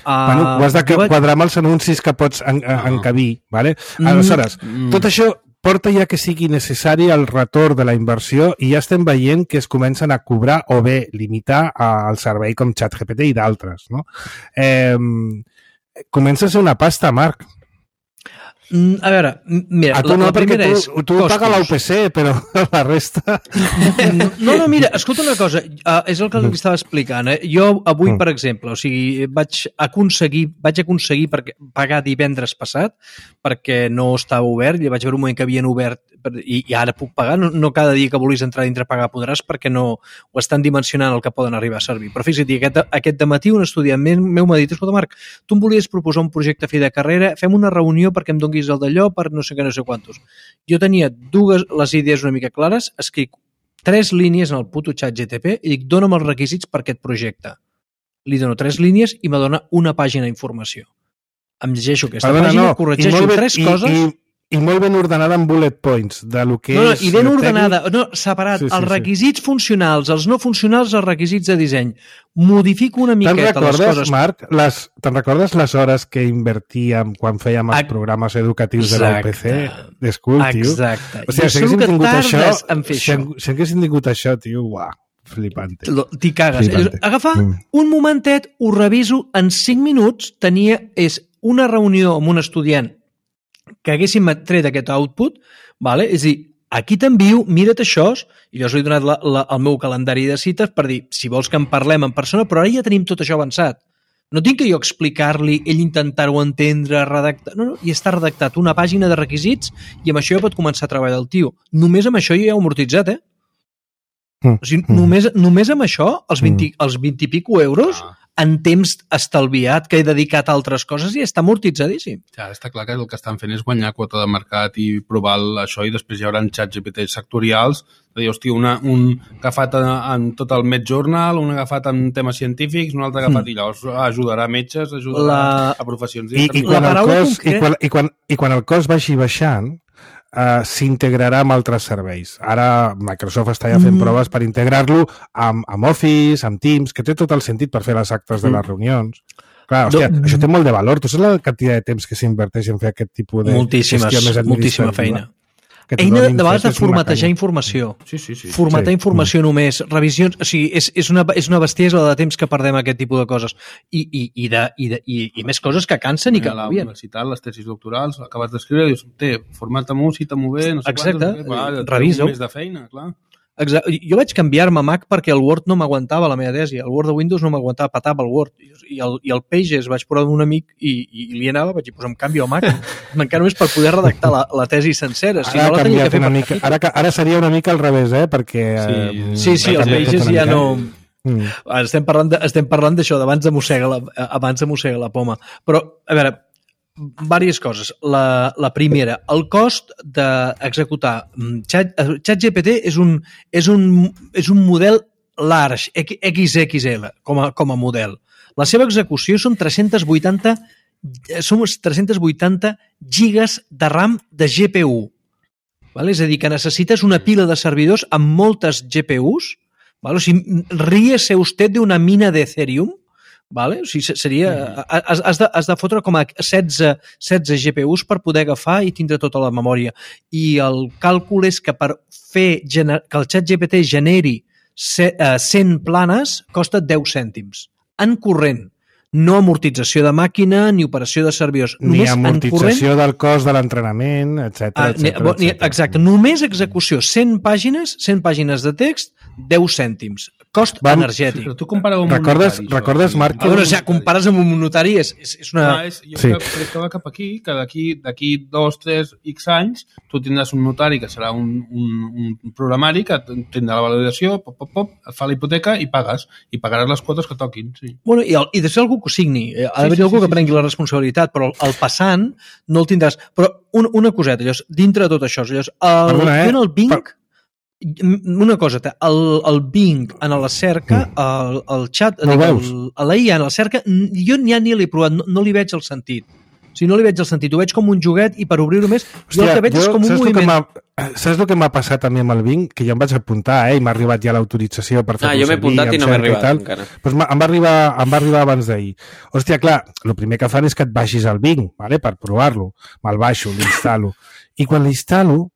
Uh, bueno, ho has de quadrar amb els anuncis que pots en, en, encabir. Vale? Aleshores, mm. tot això porta ja que sigui necessari el retorn de la inversió i ja estem veient que es comencen a cobrar o bé limitar el servei com ChatGPT i d'altres. No? Eh, comença a ser una pasta, Marc. A veure, mira, a tu no, la, la primera tu, és... Tu paga la U P C, però la resta... No, no, mira, escolta una cosa, uh, és el que li estava explicant. Eh? Jo avui, per exemple, o sigui, vaig aconseguir, vaig aconseguir perquè, pagar divendres passat perquè no estava obert, i vaig veure un moment que havien obert i, i ara puc pagar, no, no cada dia que vulguis entrar dintre pagar podràs perquè no ho estan dimensionant el que poden arribar a servir. Però fixa't, aquest, aquest dematí un estudiant meu m'ha dit, escolta Marc, tu em volies proposar un projecte a fi de carrera, fem una reunió perquè em donguis el d'allò per no sé què, no sé quantos. Jo tenia dues les idees una mica clares, escric tres línies en el puto xat G T P i dic, dona'm els requisits per aquest projecte. Li dono tres línies i me dona una pàgina d'informació. Em llegeixo aquesta Perdona, pàgina, no. corregeixo bé, tres i, coses... I, i molt ben ordenada en bullet points de lo que no, no, és... I ben tècnic. ordenada, no, separat, sí, sí, els requisits sí. funcionals, els no funcionals, els requisits de disseny. Modifico una miqueta les coses. Marc, les, te'n recordes les hores que invertíem quan fèiem els Ac... programes educatius Exacte. de la U P C? D'escul, tio. Exacte. O sigui, si haguéssim tingut això, si, si haguéssim tingut això, tio, uah, flipante. T'hi cagues. Flipante. Agafar mm. un momentet, ho reviso, en cinc minuts tenia, és una reunió amb un estudiant que haguéssim tret aquest output, vale? És a dir, aquí t'envio, mira't això, i jo us he donat la, la, el meu calendari de cites per dir, si vols que en parlem en persona, però ara ja tenim tot això avançat. No tinc que jo explicar-li, ell intentar-ho entendre, redactar... No, no, i està redactat una pàgina de requisits i amb això ja pot començar a treballar el tio. Només amb això ja he amortitzat, eh? Mm. O sigui, mm. només, només amb això, els vint, mm. els vint i pico euros... Ah. en temps estalviat que he dedicat a altres coses i està amortitzadíssim. Ja, està clar que el que estan fent és guanyar quota de mercat i provar això i després hi haurà xats G P T sectorials de dir, hòstia, una, un agafat en tot el Med Journal, un agafat en temes científics, un altre agafat mm. i llavors ajudarà metges, ajudarà la... a professions. I, i, quan el cost, concret... i, quan, i, quan, I quan el cost vagi baixant, Uh, s'integrarà amb altres serveis. Ara Microsoft està ja fent mm. proves per integrar-lo amb, amb Office, amb Teams, que té tot el sentit per fer les actes de les reunions. Clar, hòstia, no. això té molt de valor. Tu saps la quantitat de temps que s'inverteix en fer aquest tipus de moltíssimes, gestió més administrativa? Moltíssima feina. Eina de vegades de formatejar informació. Sí, sí, sí. Formatar sí. informació mm. només, revisions... O sigui, és, és, una, és una bestiesa de temps que perdem aquest tipus de coses. I, i, i, de, i, de, i, i més coses que cansen i que... A la universitat, les tesis doctorals, acabes d'escriure, dius, té, formata-m'ho, cita-m'ho bé, no sé Exacte, quantos, va, revisa-ho. Un mes de feina, clar. Exacte. Jo vaig canviar-me a Mac perquè el Word no m'aguantava la meva tesi. El Word de Windows no m'aguantava, patava el Word. I el, i el Pages vaig provar amb un amic i, i li anava, vaig dir, pues em canvio a Mac. Encara només per poder redactar la, la tesi sencera. Si ara, no la tenia que fer una mica, ara, ara seria una mica al revés, eh? Perquè... Sí, sí, sí el Pages ja no... Mm. Estem parlant de, estem parlant d'això, d'abans de mossega la, abans de mossega la poma. Però, a veure, diverses coses. La, la primera, el cost d'executar Chat, ChatGPT és un, és, un, és un model large, X X L, com a, com a model. La seva execució són tres-cents vuitanta, són tres-cents vuitanta gigas de RAM de G P U. Vale? És a dir, que necessites una pila de servidors amb moltes G P Us. Vale? O sigui, ríese usted d'una mina d'Ethereum. Vale? O sigui, seria, has, has, de, has de fotre com a setze, setze G P Us per poder agafar i tindre tota la memòria. I el càlcul és que per fer gener, que el ChatGPT generi cent planes costa deu cèntims. En corrent. No amortització de màquina ni operació de servidors. Ni només amortització del cost de l'entrenament, etcètera. Ah, exacte. Només execució. cent pàgines, cent pàgines de text, deu cèntims. Cost Vam, energètic. Però tu compareu amb recordes, un notari. Recordes, Marc? Ah, bueno, o sigui, compares amb un notari és, és, és una... Ah, és, jo sí. crec que va cap aquí, que d'aquí d'aquí dos, tres, X anys, tu tindràs un notari que serà un, un, un programari que tindrà la validació, pop, pop, pop, et fa la hipoteca i pagues. I pagaràs les quotes que toquin. Sí. Bueno, i, el, i de ser algú que ho signi. Ha d'haver-hi sí, sí, algú sí, que prengui sí, sí. la responsabilitat, però el, el passant no el tindràs. Però un, una coseta, llavors, dintre de tot això, llavors, el, Perdona, eh? el Bing... Per... Una cosa, el, el Bing en la cerca, el, el chat, no el, l'A I A en la cerca, jo ja ni l'he provat, no, no li veig el sentit. O sigui, no li veig el sentit, ho veig com un joguet i per obrir-ho més, Hòstia, jo el que veig jo, és com un moviment. Saps el que m'ha passat a mi amb el Bing? Que jo em vaig apuntar, eh, i m'ha arribat ja l'autorització per fer-ho ah, jo m'he apuntat i no m'he arribat encara. Pues em, va arribar, em va arribar abans d'ahir. Hòstia, clar, el primer que fan és que et baixis al Bing, vale? Per provar-lo. Me'l baixo, l'instal·lo. I quan l'instal·lo,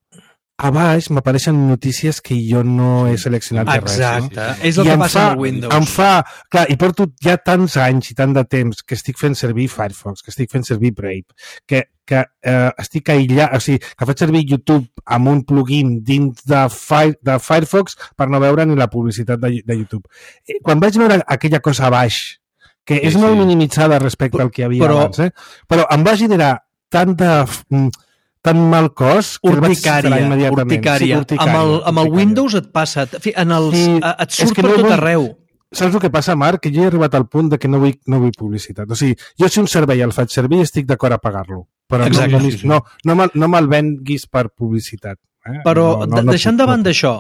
a baix m'apareixen notícies que jo no he seleccionat de res. Exacte, no? És el I que passa amb el Windows. Em fa, clar, i porto ja tants anys i tant de temps que estic fent servir Firefox, que estic fent servir Brave, que, que eh, estic aïllat, o sigui, que faig servir YouTube amb un plugin dins de, Fire, de Firefox per no veure ni la publicitat de, de YouTube. Quan vaig veure aquella cosa a baix, que és sí, molt sí. minimitzada respecte al que hi havia però, abans, eh? Però em va generar tant de... tan mal cos que urticària, el vaig urticària. Sí, urticària. Amb el, amb el Windows et passa, en els, sí, et surt per no tot vull, arreu. Saps el que passa, Marc? Que jo he arribat al punt de que no vull, no vull publicitat. O sigui, jo si un servei el faig servir estic d'acord a pagar-lo. Però Exacte, no, no, sí, sí. no, no, me'l, no me'l venguis per publicitat. Eh? Però, no, no, no, deixant no, davant no. d'això,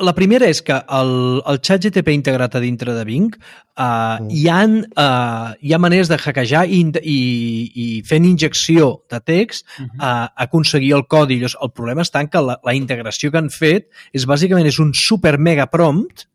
la primera és que el, el xat G P T integrat a dintre de Bing uh, mm. hi, ha, uh, hi ha maneres de hackejar i, i, i fent injecció de text uh, uh, aconseguir el codi. El problema està en que la, la integració que han fet és bàsicament és un super mega prompt,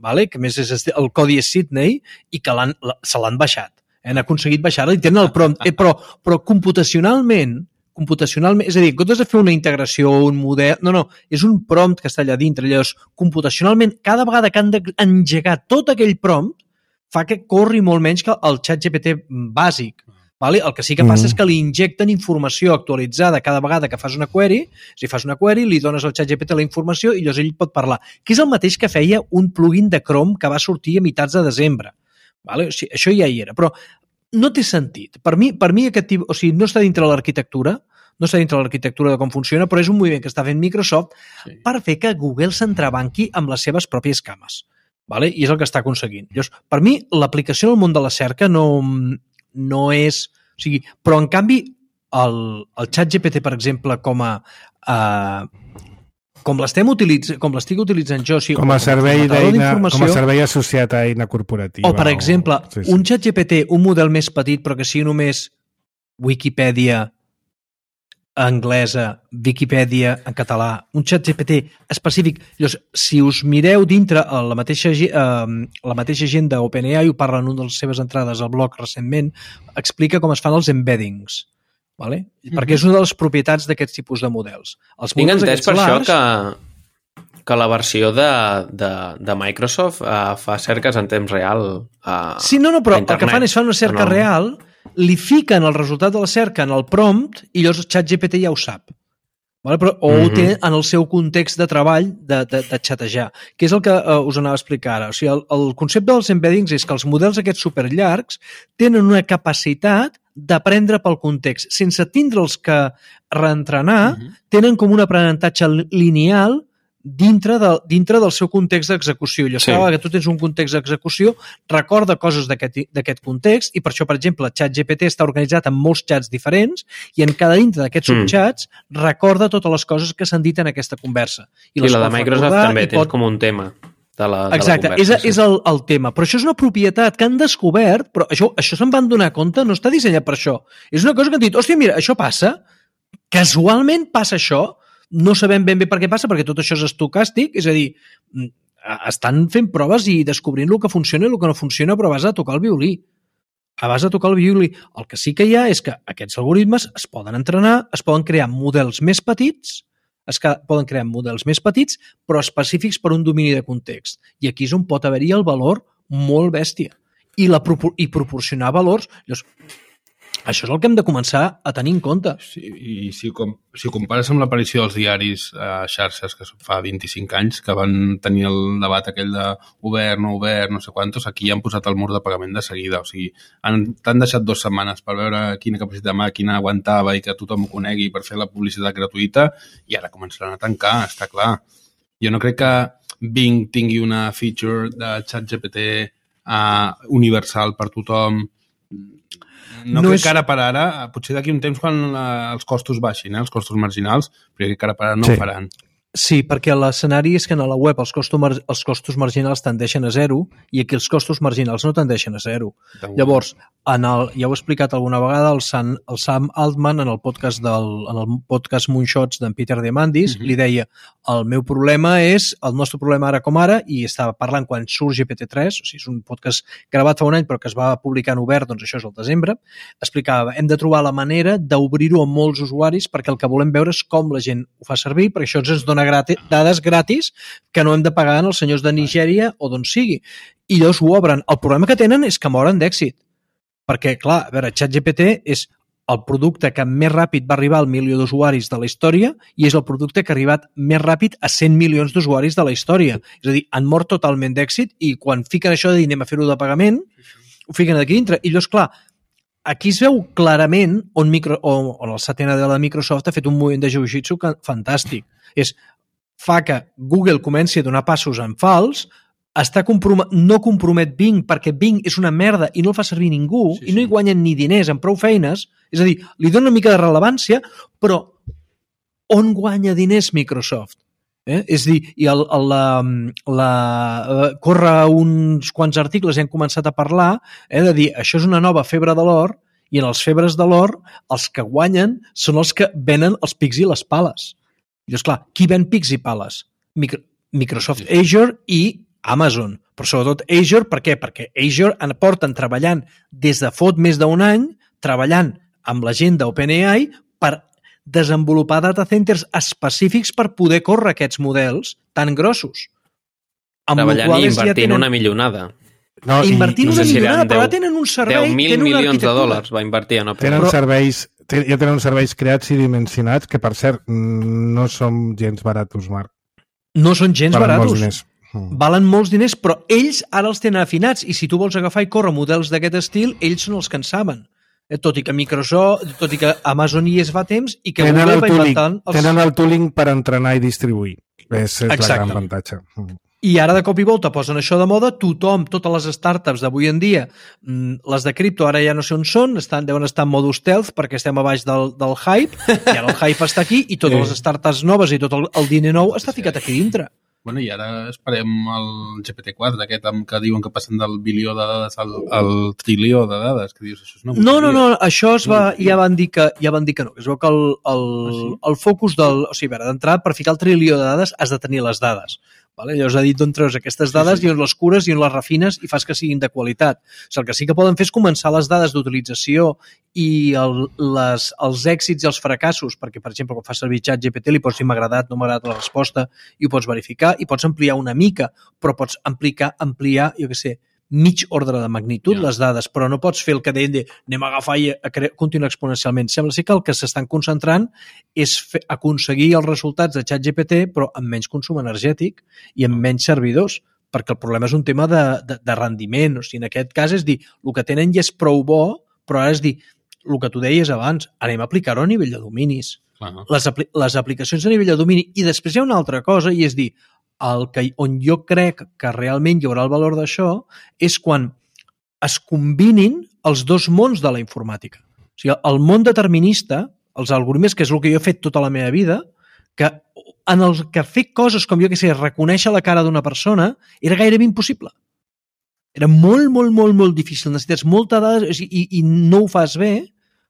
vale? Que més és el codi és Sydney i que l'han, se l'han baixat. Han aconseguit baixar-la i tenen el prompt. Eh, però, però computacionalment computacionalment, és a dir, en comptes de fer una integració, un model... No, no, és un prompt que està allà dintre. Llavors, computacionalment, cada vegada que han d'engegar tot aquell prompt, fa que corri molt menys que el xat G P T bàsic. Vale? El que sí que passa mm. és que li injecten informació actualitzada cada vegada que fas una query. Si fas una query, li dones al xat G P T la informació i llavors ell pot parlar. Que és el mateix que feia un plugin de Chrome que va sortir a mitats de desembre. Vale? O sigui, això ja hi era, però no té sentit. Per mi, per mi aquest tipus, o sigui, no està dintre l'arquitectura, no està dintre l'arquitectura de com funciona, però és un moviment que està fent Microsoft sí. per fer que Google s'entrebanqui amb les seves pròpies cames. Vale? I és el que està aconseguint. Llavors, per mi, l'aplicació en el món de la cerca no, no és... O sigui, però, en canvi, el, el xat G P T, per exemple, com a... Uh, com l'estem utilitzant, com l'estic utilitzant jo, o sigui, com a servei d'eina, com a servei associat a eina corporativa. O, per exemple, o... sí, sí. un xat G P T, un model més petit, però que sigui només Wikipedia anglesa, Wikipedia en català, un xat G P T específic. Llavors, si us mireu dintre la mateixa, eh, la mateixa gent d'OpenAI, ho parla en una de les seves entrades al blog recentment, explica com es fan els embeddings. Vale? Mm-hmm. Perquè és una de les propietats d'aquests tipus de models. Els Tinc models entès per solars... això que, que la versió de, de, de Microsoft uh, fa cerques en temps real a Sí, no, no, però el que fan és fan una cerca no. real, li fiquen el resultat de la cerca en el prompt i llavors el xat G P T ja ho sap. Vale? Però, o mm-hmm. ho té en el seu context de treball de, de, de xatejar, que és el que uh, us anava a explicar ara. O sigui, el, el concepte dels embeddings és que els models aquests superllargs tenen una capacitat d'aprendre pel context. Sense tindre'ls que reentrenar, uh-huh. tenen com un aprenentatge lineal dintre, de, dintre del seu context d'execució. I sí. cada vegada que tu tens un context d'execució, recorda coses d'aquest context i per això, per exemple, el xat G P T està organitzat en molts xats diferents i en cada dintre d'aquests mm. subxats recorda totes les coses que s'han dit en aquesta conversa. I, I la de Microsoft també tens pot... com un tema. De la, de Exacte, la conversa, és, sí. és el, el tema. Però això és una propietat que han descobert, però això, això se'n van donar compte, no està dissenyat per això. És una cosa que han dit, hòstia, mira, això passa, casualment passa això, no sabem ben bé per què passa, perquè tot això és estocàstic, és a dir, estan fent proves i descobrint el que funciona i el que no funciona, però vas a tocar el violí. Vas a tocar el violí. El que sí que hi ha és que aquests algoritmes es poden entrenar, es poden crear models més petits, es poden crear models més petits, però específics per un domini de context. I aquí és on pot haver-hi el valor molt bèstia. I, la, i proporcionar valors... Llavors, això és el que hem de començar a tenir en compte. Sí, i si, com, si ho compares amb l'aparició dels diaris a xarxes, que fa vint-i-cinc anys, que van tenir el debat aquell de obert, no obert, no sé quantos, aquí ja han posat el mur de pagament de seguida. O sigui, han, t'han deixat dues setmanes per veure quina capacitat de màquina aguantava i que tothom ho conegui per fer la publicitat gratuïta i ara començaran a tancar, està clar. Jo no crec que Bing tingui una feature de xat G P T uh, universal per tothom. No, no crec és... que ara per ara, potser d'aquí un temps quan la, els costos baixin, eh, els costos marginals, però crec que ara per ara no sí. ho faran. Sí, perquè l'escenari és que en la web els costos, mar els costos marginals tendeixen a zero i aquí els costos marginals no tendeixen a zero. Llavors, en el, ja ho he explicat alguna vegada, el, San, el Sam Altman en el podcast, del, en el podcast Moonshots d'en Peter Diamandis uh-huh. li deia, el meu problema és, el nostre problema ara com ara, i estava parlant quan surt G P T tres, o sigui, és un podcast gravat fa un any però que es va publicar en obert, doncs això és el desembre, explicava, hem de trobar la manera d'obrir-ho a molts usuaris perquè el que volem veure és com la gent ho fa servir, perquè això ens dona gratis, dades gratis que no hem de pagar als senyors de Nigèria o d'on sigui. I llavors ho obren. El problema que tenen és que moren d'èxit. Perquè, clar, a veure, ChatGPT és el producte que més ràpid va arribar al milió d'usuaris de la història i és el producte que ha arribat més ràpid a cent milions d'usuaris de la història. És a dir, han mort totalment d'èxit i quan fiquen això de dir anem a fer-ho de pagament, ho fiquen aquí dintre. I llavors, clar, aquí es veu clarament on, micro, on, on el Satya Nadella de Microsoft ha fet un moviment de jiu-jitsu fantàstic. És, fa que Google comenci a donar passos en fals, està compromet, no compromet Bing perquè Bing és una merda i no el fa servir ningú sí, sí. i no hi guanyen ni diners en prou feines, és a dir, li dona una mica de rellevància, però on guanya diners Microsoft? Eh? És a dir, i el, el, la, la, corre uns quants articles i han començat a parlar eh, de dir, això és una nova febre de l'or i en els febres de l'or els que guanyen són els que venen els pics i les pales. I és clar, qui ven pics i pales? Micro, Microsoft Azure i Amazon. Però sobretot Azure, per què? Perquè Azure porten treballant des de fot més d'un any, treballant amb la gent d'OpenAI per desenvolupar data centers específics per poder córrer aquests models tan grossos. Treballant i invertint ja tenen... una millonada. No, invertint no sé una si millonada, però ja tenen un servei... deu mil milions de dòlars va invertir en OpenAI. Tenen però... serveis, ja tenen serveis creats i dimensionats que, per cert, no són gens baratos, Marc. No són gens Valen baratos. Molts diners. Mm. Valen molts diners, però ells ara els tenen afinats i si tu vols agafar i córrer models d'aquest estil, ells són els que en saben. Tot i que Microsoft, tot i que Amazon hi es va temps i que tenen Google el va tooling, inventant... Els... Tenen el tooling per entrenar i distribuir. És, és la gran avantatge. I ara de cop i volta posen això de moda, tothom, totes les startups d'avui en dia, les de cripto ara ja no sé on són, estan, deuen estar en modo stealth perquè estem a baix del, del hype, i ara el hype està aquí i totes les startups noves i tot el, el diner nou està ficat aquí dintre. Bueno, i ara esperem el G P T quatre, aquest que diuen que passen del bilió de dades al, al trilió de dades, que dius, això és una no, no, no, això es va, ja van dir que, ja van dir que no, que es veu que el, el, ah, sí? el focus del... O sigui, d'entrada, per ficar el trilió de dades has de tenir les dades. Vale? Llavors ha dit d'on treus aquestes dades, sí, sí. i on les cures i on les refines i fas que siguin de qualitat. O sigui, el que sí que poden fer és començar les dades d'utilització i el, les, els èxits i els fracassos, perquè, per exemple, quan fas servir ChatGPT li pots dir m'ha agradat, no m'ha agradat la resposta i ho pots verificar i pots ampliar una mica, però pots ampliar, ampliar jo què sé, mig ordre de magnitud yeah. les dades, però no pots fer el que deien de anem a agafar i a continuar exponencialment. Sembla ser que el que s'estan concentrant és fer, aconseguir els resultats de ChatGPT però amb menys consum energètic i amb menys servidors, perquè el problema és un tema de, de, de rendiment. O sigui, en aquest cas és dir, el que tenen ja és prou bo, però ara és dir, el que tu deies abans, anem a aplicar-ho a nivell de dominis. Uh-huh. Les, apli les aplicacions a nivell de domini. I després hi ha una altra cosa i és dir, el que, on jo crec que realment hi haurà el valor d'això és quan es combinin els dos mons de la informàtica. O sigui, el món determinista, els algoritmes, que és el que jo he fet tota la meva vida, que en el que fer coses com jo que sé, reconèixer la cara d'una persona, era gairebé impossible. Era molt, molt, molt, molt difícil. Necessites molta dada i, i no ho fas bé.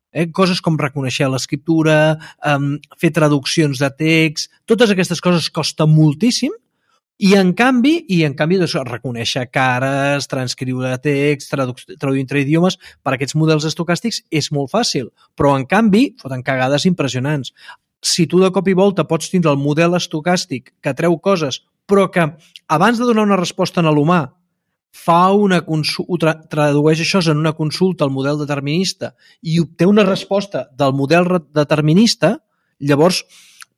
Eh? Coses com reconèixer l'escriptura, um, fer traduccions de text, totes aquestes coses costa moltíssim. I en canvi, i en canvi doncs, reconèixer cares, transcriure text, traduir entre idiomes, per aquests models estocàstics és molt fàcil, però en canvi foten cagades impressionants. Si tu de cop i volta pots tindre el model estocàstic que treu coses, però que abans de donar una resposta a l'humà fa una consulta, tra tradueix això en una consulta al model determinista i obté una resposta del model determinista, llavors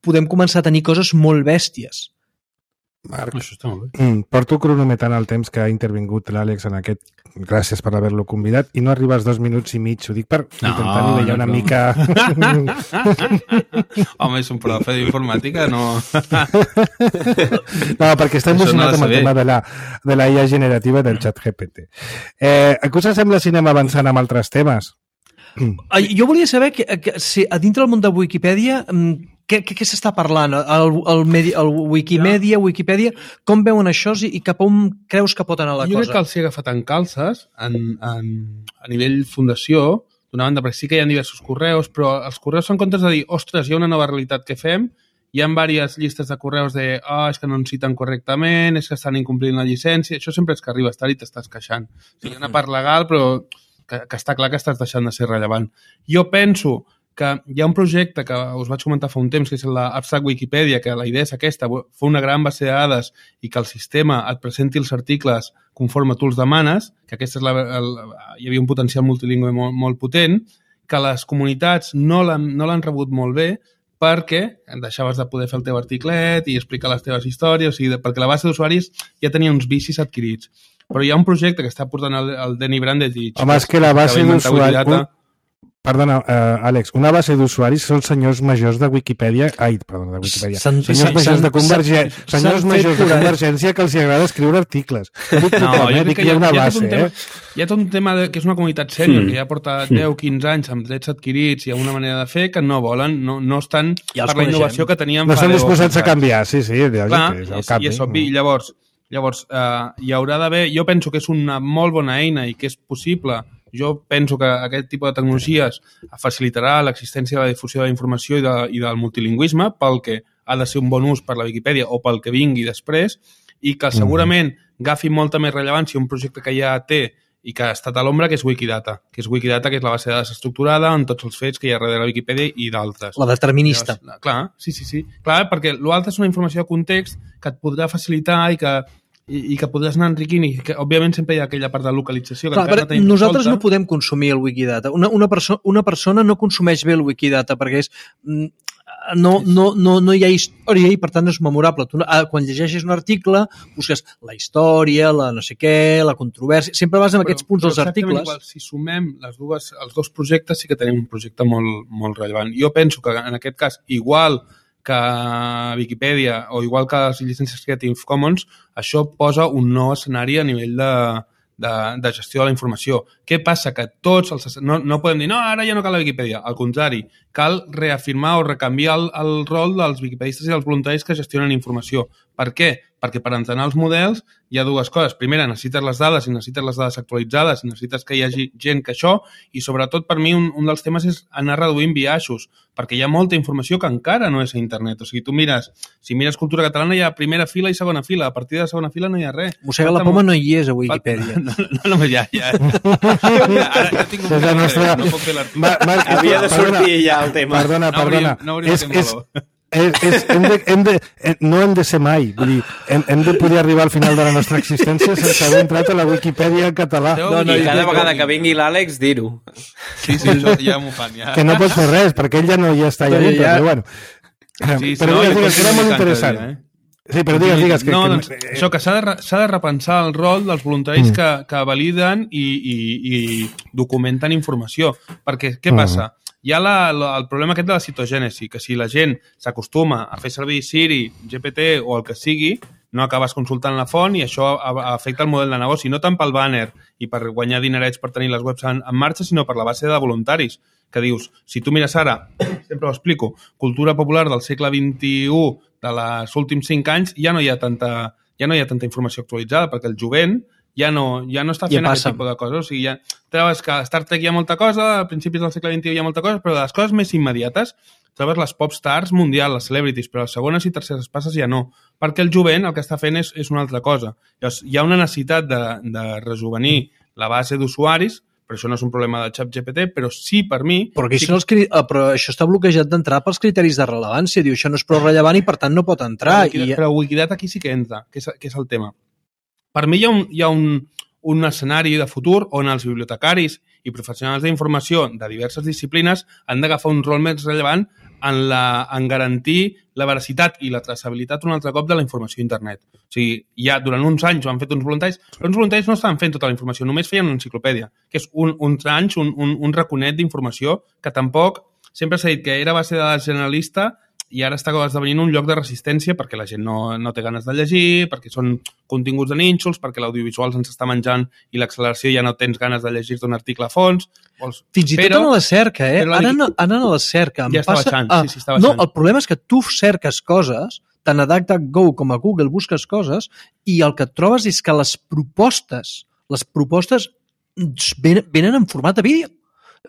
podem començar a tenir coses molt bèsties. Marc, això està molt bé. Porto cronometrant el temps que ha intervingut l'Àlex en aquest, gràcies per haver-lo convidat, i no arriba als dos minuts i mig, ho dic per no, intentar nivellar no, una no. mica... Home, és un profe d'informàtica, no... no, perquè està emocionat no amb el tema de la, de la I A generativa del ChatGPT. Eh, què us sembla si anem avançant amb altres temes? Jo volia saber que, que si a dintre del món de Wikipedia què, què, què s'està parlant? El, el, medi, el Wikimedia, ja. Wikipedia, com veuen això i, i cap on creus que pot anar la jo cosa? Jo crec que els he agafat en calces en, en, a nivell fundació, d'una banda, perquè sí que hi ha diversos correus, però els correus són comptes de dir, ostres, hi ha una nova realitat que fem, hi ha diverses llistes de correus de ah, és que no ens citen correctament, és que estan incomplint la llicència, això sempre és que arribes tard i t'estàs queixant. O sigui, hi ha una part legal, però que, que està clar que estàs deixant de ser rellevant. Jo penso que hi ha un projecte que us vaig comentar fa un temps, que és l'Abstract Wikipedia, que la idea és aquesta, fer una gran base de dades i que el sistema et presenti els articles conforme tu els demanes, que aquesta és la, el, hi havia un potencial multilingüe molt, molt potent, que les comunitats no l'han no l'han rebut molt bé perquè deixaves de poder fer el teu articlet i explicar les teves històries, o sigui, perquè la base d'usuaris ja tenia uns vicis adquirits. Però hi ha un projecte que està portant el, el Denny Brandegich. Home, és que la base d'usuaris... Perdona, uh, Àlex, una base d'usuaris són senyors majors de Wikipedia... Ai, perdona, de Wikipedia. S'han- Senyors s'han- majors de s'han- Convergència, s'han senyors fet majors de curar. Convergència que els agrada escriure articles. Dic No, total, jo eh? crec Dic que que hi ha una hi ha, base, tot un tema, eh? hi ha tot un tema de, que és una comunitat sènior, que ja porta deu quinze anys amb drets adquirits i amb una manera de fer que no volen, no, no estan Ja els per la coneixem. innovació que teníem No fa estan deu o disposats quinze a canviar, sí, sí, lògic, Clar, és el és, canvi. i és obvi. Llavors, llavors eh, hi haurà d'haver... Jo penso que és una molt bona eina i que és possible. Jo penso que aquest tipus de tecnologies facilitarà l'existència de la difusió de la informació i, de, i del multilingüisme pel que ha de ser un bon ús per la Viquipèdia o pel que vingui després i que segurament agafi molta més rellevància un projecte que ja té i que ha estat a l'ombra, que és Wikidata, que és Wikidata, que és la base de dades estructurada en tots els fets que hi ha darrere la Viquipèdia i d'altres. La determinista. Llavors, clar, sí, sí, sí. Clar, perquè l'altre és una informació de context que et podrà facilitar i que i, i que podràs anar enriquint i que, òbviament, sempre hi ha aquella part de localització que Clar, encara no tenim nosaltres resolta. no podem consumir el Wikidata. Una, una, perso una persona no consumeix bé el Wikidata perquè és... mm, No, no, no, no hi ha història i per tant és memorable. Tu, ah, quan llegeixes un article busques la història, la no sé què, la controvèrsia, sempre vas amb aquests punts dels articles. Igual, si sumem les dues, els dos projectes sí que tenim un projecte molt, molt rellevant. Jo penso que en aquest cas, igual que Viquipèdia o igual que les llicències Creative Commons, això posa un nou escenari a nivell de, de, de gestió de la informació. Què passa? Que tots els... No, no podem dir, no, ara ja no cal la Viquipèdia. Al contrari, cal reafirmar o recanviar el, el rol dels viquipedistes i dels voluntaris que gestionen informació. Per què? Perquè per entrenar els models hi ha dues coses. Primera, necessites les dades i necessites les dades actualitzades i necessites que hi hagi gent que això i sobretot per mi un, un dels temes és anar reduint biaixos perquè hi ha molta informació que encara no és a internet. O sigui, tu mires, si mires cultura catalana hi ha primera fila i segona fila. A partir de la segona fila no hi ha res. Mossega la poma no hi és a Wikipedia. No, no, no, ja, ja. Ara ja tinc un És la nostra- no puc fer l'article. Ma- Marc, Havia de perdona, sortir ja el tema. Perdona, No hauríem- perdona. no hauríem és, de és, valor. és, és, hem de, hem de, eh, no hem de ser mai. Vull dir, hem, hem de poder arribar al final de la nostra existència sense haver entrat a la Wikipedia en català. No, no, I jo cada crec vegada que- que vingui l'Àlex, dir-ho. Sí, sí, això ja m'ho fan. Ja. Que no pots fer res, perquè ell ja no hi està allà Però dintre, ja- però bueno. Sí, sí, però no, digues, jo digues, que era continuo molt cada interessant. dia, eh? Sí, però digues, digues. Que, no, que, doncs, eh, això, que s'ha de, re- s'ha de repensar el rol dels voluntaris mm. que, que validen i, i, i documenten informació. Perquè què passa? Hi ha la, la, el problema aquest de la citogènesi, que si la gent s'acostuma a fer servir Siri, G P T o el que sigui, no acabes consultant la font i això a- afecta el model de negoci, no tant pel banner i per guanyar dinerets per tenir les webs en, en marxa, sinó per la base de voluntaris. Que dius, si tu mires ara, sempre ho explico, cultura popular del segle vint-i-u, de les últims cinc anys, ja no hi ha tanta, ja no hi ha tanta informació actualitzada, perquè el jovent ja no, ja no està Ja fent passa. aquest tipus de coses. O sigui, ja, trobes que a Star Trek hi ha molta cosa, a principis del segle vint-i-u hi ha molta cosa, però de les coses més immediates trobes les pop stars mundials, les celebrities, però les segones i terceres passes ja no, perquè el jovent el que està fent és, és una altra cosa. Llavors, hi ha una necessitat de, de rejuvenir la base d'usuaris, però això no és un problema de ChatGPT, però sí, per mi... Però, aquí sí són els cri... ah, però això està bloquejat d'entrar pels criteris de rellevància. Diu, això no és prou rellevant i, per tant, no pot entrar. Però, I... però Wikidata aquí sí que entra, que és, que és el tema. Per mi hi ha un, hi ha un, un escenari de futur on els bibliotecaris i professionals d'informació de diverses disciplines han d'agafar un rol més rellevant en, la, en garantir la veracitat i la traçabilitat un altre cop de la informació a internet. O sigui, ja durant uns anys ho han fet uns voluntaris, però uns voluntaris no estaven fent tota la informació, només feien una enciclopèdia, que és un, uns anys, un, un, un raconet d'informació que tampoc, sempre s'ha dit que era base de dades generalista i ara està esdevenint un lloc de resistència perquè la gent no, no té ganes de llegir, perquè són continguts de nínxols, perquè l'audiovisual se'ns està menjant i l'acceleració ja no tens ganes de llegir-te un article a fons. Vols... Fins i però, tot en la cerca, eh? però la Ara Wiki- no, ara en la cerca. Em Ja està passa... baixant, sí, sí, està No, baixant. el problema és que tu cerques coses, tant a DuckDuckGo com a Google busques coses, i el que et trobes és que les propostes, les propostes venen, venen en format de vídeo.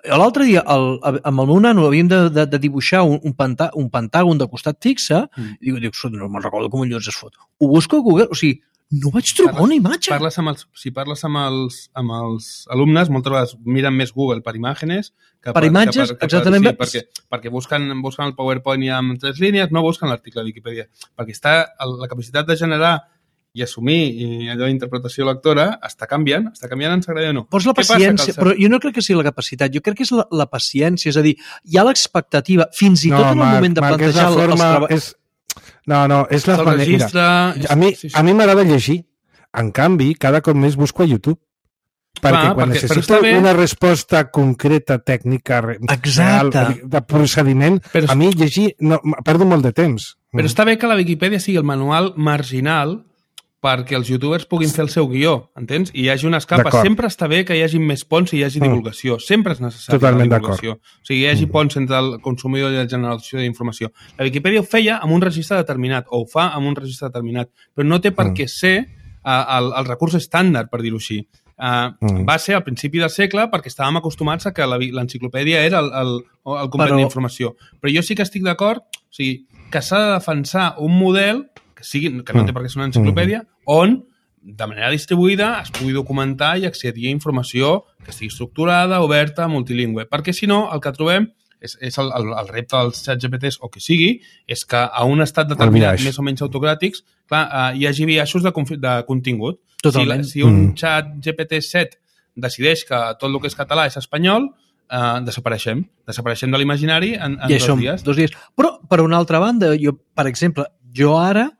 L'altre dia, el, amb el meu nano, havíem de, de, de dibuixar un, un, pantà, un pentàgon de costat fixe, mm. i dic, dic, no me'n recordo com collons es fot. Ho busco a Google, o sigui, no vaig trobar Parles- una imatge. Parles amb els, si parles amb els, amb els alumnes, moltes vegades miren més Google per imatges que Per imatges, que que exactament. Sí, perquè, perquè busquen, busquen el PowerPoint i amb tres línies, no busquen l'article de Viquipèdia. Perquè està, la capacitat de generar i assumir i allò d'interpretació lectora està canviant, està canviant, ens agrada o no. Pots la Què passa? paciència, Que el- però jo no crec que sigui la capacitat, jo crec que és la, la paciència, és a dir, hi ha l'expectativa, fins i tot en el Marc, moment de Marc, és plantejar la forma, els treballs... és... No, no, és la el manera. registre... A mi, sí, sí. a mi m'agrada llegir. En canvi, cada cop més busco a YouTube. Perquè Clar, quan perquè- però necessito està bé- una resposta concreta, tècnica, re- Exacte. real, de procediment, Però- a mi llegir, no, perdo molt de temps. Però està bé que la Viquipèdia sigui el manual marginal perquè els youtubers puguin fer el seu guió, entens? I hi hagi unes capes. D'acord. Sempre està bé que hi hagi més ponts i hi hagi Mm. divulgació. Sempre és necessari Totalment la divulgació. O sigui, hi hagi Mm. ponts entre el consumidor i la generació d'informació. La Viquipèdia ho feia amb un registre determinat, o ho fa amb un registre determinat, però no té per Mm. què ser uh, el, el recurs estàndard, per dir-ho així. Uh, Mm. Va ser al principi del segle perquè estàvem acostumats a que la- l'enciclopèdia era el, el, el complet Però- d'informació. Però jo sí que estic d'acord, o sigui, que s'ha de defensar un model que, sigui, que no té per què ser una enciclopèdia, on de manera distribuïda es pugui documentar i accedir a informació que estigui estructurada, oberta, multilingüe. Perquè, si no, el que trobem és, és el, el, el repte dels xats G P Ts, o que sigui, és que a un estat determinat, biaix. més o menys autocràtics, clar, eh, hi hagi biaixos de, confi- de contingut. Totalment. Si, si un Mm. xat G P T set decideix que tot el que és català és espanyol, eh, desapareixem. Desapareixem de l'imaginari en, en I dos això, dies. dos dies. Però, per una altra banda, jo, per exemple, jo ara,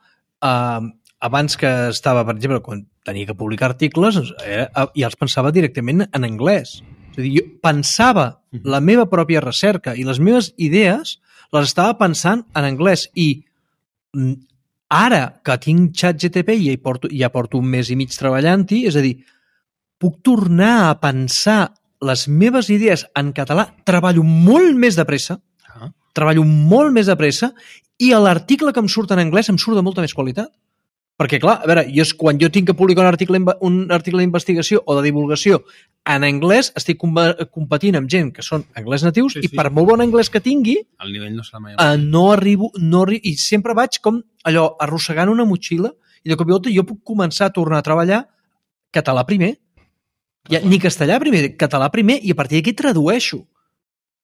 eh, abans que estava, per exemple, quan tenia que publicar articles, eh, ja els pensava directament en anglès. És a dir, jo pensava la meva pròpia recerca i les meves idees les estava pensant en anglès i mm, ara que tinc ChatGPT i ja, hi porto, ja porto un mes i mig treballant-hi, és a dir, puc tornar a pensar les meves idees en català, treballo molt més de pressa, Ah. treballo molt més de pressa i a l'article que em surt en anglès em surt de molta més qualitat. Perquè, clar, a veure, jo, quan jo tinc que publicar un article, un article d'investigació o de divulgació en anglès, estic competint amb gent que són anglès natius Sí, i sí. per molt bon anglès que tingui, El nivell no serà mai... eh, no arribo, no arri i sempre vaig com allò, arrossegant una motxilla i de cop i volta jo puc començar a tornar a treballar català primer. Ja, ni castellà primer, català primer, i a partir d'aquí tradueixo.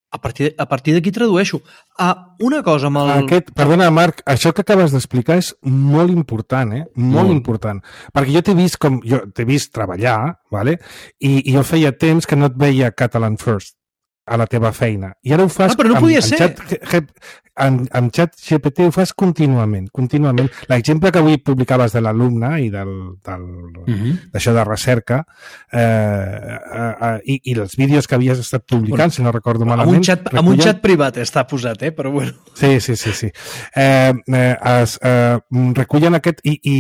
A partir, a partir d'aquí tradueixo. Ah, una cosa amb el... Aquest, perdona, Marc, això que acabes d'explicar és molt important, eh? Molt, Molt. important. Perquè jo t'he vist com jo t'he vist treballar, vale? I, i jo feia temps que no et veia Catalan First a la teva feina. I ara ho fas... Ah, però no amb, podia amb ser. Chat, amb, amb Chat G P T ho fas contínuament, contínuament. L'exemple que avui publicaves de l'alumne i del, del, Mhm. d'això de recerca eh, eh, eh, i, i els vídeos que havies estat publicant, Bueno, si no recordo amb malament... un, xat, amb un recullen- xat privat està posat, eh? Però bueno. Sí, sí, sí. sí. Eh, eh, es, eh, recullen aquest... I, i,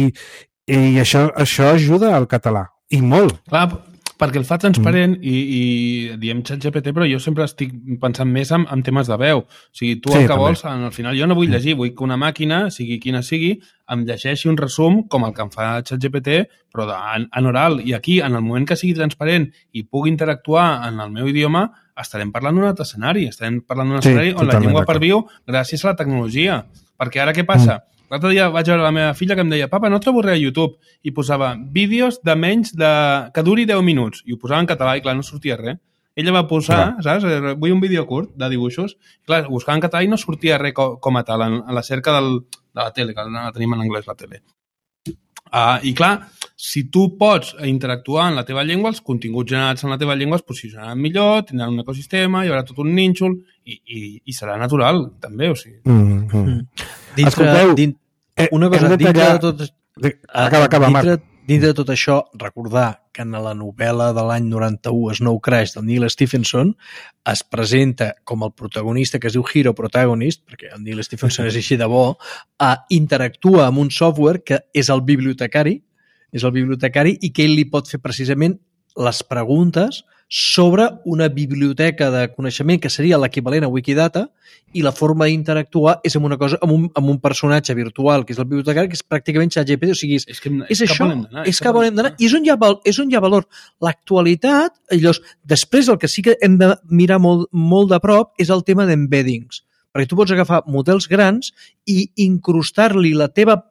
i això, això ajuda al català. I molt. Clar, perquè el fa transparent mm. i, i diem ChatGPT, però jo sempre estic pensant més en, en temes de veu. O sigui, tu Sí, el que també. vols, en, al final jo no vull llegir, vull que una màquina, sigui quina sigui, em llegeixi un resum com el que em fa ChatGPT, però de, en, en oral. I aquí, en el moment que sigui transparent i pugui interactuar en el meu idioma, estarem parlant d'un altre escenari. Estarem parlant d'un Sí, escenari on la totalment llengua d'acord. perviu gràcies a la tecnologia. Perquè ara què passa? Mm. L'altre dia vaig veure la meva filla que em deia papa, no trobo res a YouTube. I posava vídeos de menys de... que duri deu minuts. I ho posava en català i, clar, no sortia res. Ella va posar, Clar. saps? Vull un vídeo curt de dibuixos. I, clar, buscava en català i no sortia res com, com a tal, en, en la cerca del, de la tele, que la tenim en anglès, la tele. Uh, I, clar, si tu pots interactuar en la teva llengua, els continguts generats en la teva llengua es posicionaran millor, tindran un ecosistema, hi haurà tot un nínxol i, i, i serà natural, també, o sigui. Mm, mm. Dintre, Escolteu, din, Eh, una cosa, hem de dintre tallar- de tot... De- Acaba, acaba, dintre, Marc. dintre de tot això, recordar que en la novel·la de l'any noranta-u, Snow Crash, del Neil Stephenson, es presenta com el protagonista, que es diu Hero Protagonist, perquè el Neil Stephenson és així de bo, a interactua amb un software que és el bibliotecari, és el bibliotecari i que ell li pot fer precisament les preguntes sobre una biblioteca de coneixement que seria l'equivalent a Wikidata, i la forma d'interactuar és amb una cosa, amb un, amb un personatge virtual, que és el bibliotecari, que és pràcticament ChatGPT, o sigui, és, És, que, és cap això, on hem d'anar, és cap on hem d'anar, i és on hi ha, val, és on hi ha valor. L'actualitat, llavors, després el que sí que hem de mirar molt, molt de prop és el tema d'embeddings, perquè tu pots agafar models grans i incrustar-li la teva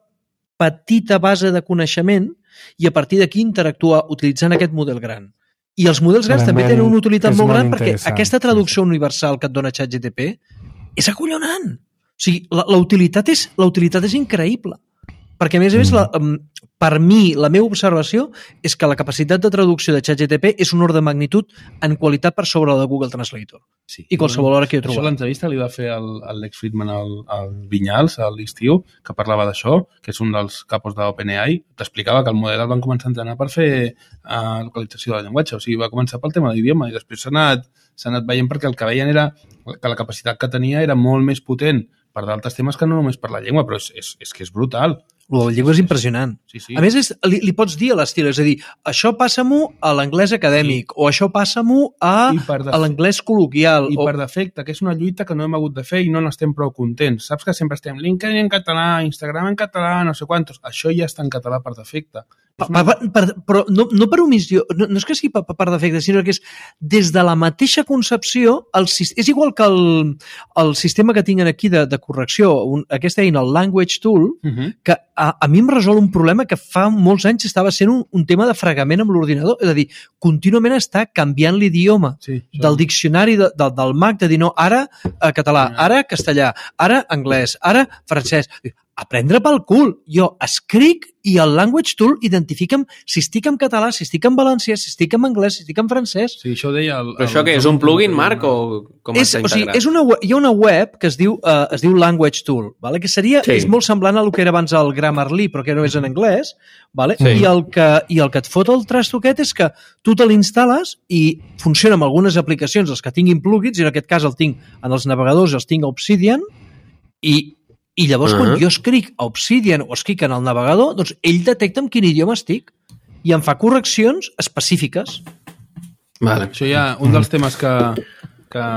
petita base de coneixement i a partir d'aquí interactuar utilitzant aquest model gran. I els models grans també Realment tenen una utilitat és molt molt gran perquè interessant. aquesta traducció universal que et dona ChatGPT és acollonant. O sigui, la, la, utilitat, és, la utilitat és increïble. Perquè, a més a més, la, per mi, la meva observació és que la capacitat de traducció de ChatGPT és un ordre de magnitud en qualitat per sobre la de Google Translator. Sí. I qualsevol hora que he Això trobat. l'entrevista li va fer el, el Lex Fridman al, al Vinyals, a l'estiu, que parlava d'això, que és un dels capos d'OpenAI. T'explicava que el model el van començar a entrenar per fer uh, localització del llenguatge. O sigui, va començar pel tema de l'idioma i després s'ha anat, s'ha anat veient perquè el que veien era que la capacitat que tenia era molt més potent per d'altres temes que no només per la llengua, però és, és, és que és brutal. La llengua és impressionant. Sí, sí. A més, és, li, li pots dir a l'estil, és a dir, això passa-m'ho a l'anglès acadèmic, sí. o això passa-m'ho a, a l'anglès col·loquial. I o... per defecte, que és una lluita que no hem hagut de fer i no n'estem prou contents. Saps que sempre estem LinkedIn en català, Instagram en català, no sé quantos. Això ja està en català per defecte. Per, per, per, però no, no per omissió, no, no és que sigui per, per defecte, sinó que és des de la mateixa concepció, el, és igual que el, el sistema que tinguin aquí de, de correcció, un, aquesta eina, el Language Tool, uh-huh. que a, a mi em resol un problema que fa molts anys estava sent un, un tema de fregament amb l'ordinador, és a dir, contínuament està canviant l'idioma sí, del diccionari de, de, del Mac, de dir no, ara eh, català, ara castellà, ara anglès, ara francès. Aprendre pel cul. Jo escric i el Language Tool identifica'm si estic en català, si estic en valencià, si estic en anglès, si estic en francès. Sí, això deia... El, Però això què? És un plugin, Marc, o com és, està o sigui, integrat? és una, hi ha una web que es diu, uh, es diu Language Tool, vale? Que seria, sí. és molt semblant a el que era abans el Grammarly, però que no és en anglès, vale? Sí. I, el que, i el que et fot el trasto aquest és que tu te l'instal·les i funciona amb algunes aplicacions, els que tinguin plugins, i en aquest cas el tinc en els navegadors, els tinc a Obsidian, i I llavors, uh-huh. quan jo escric a Obsidian o escric en el navegador, doncs ell detecta en quin idioma estic i em fa correccions específiques. Vale. Això ja, un dels temes que, que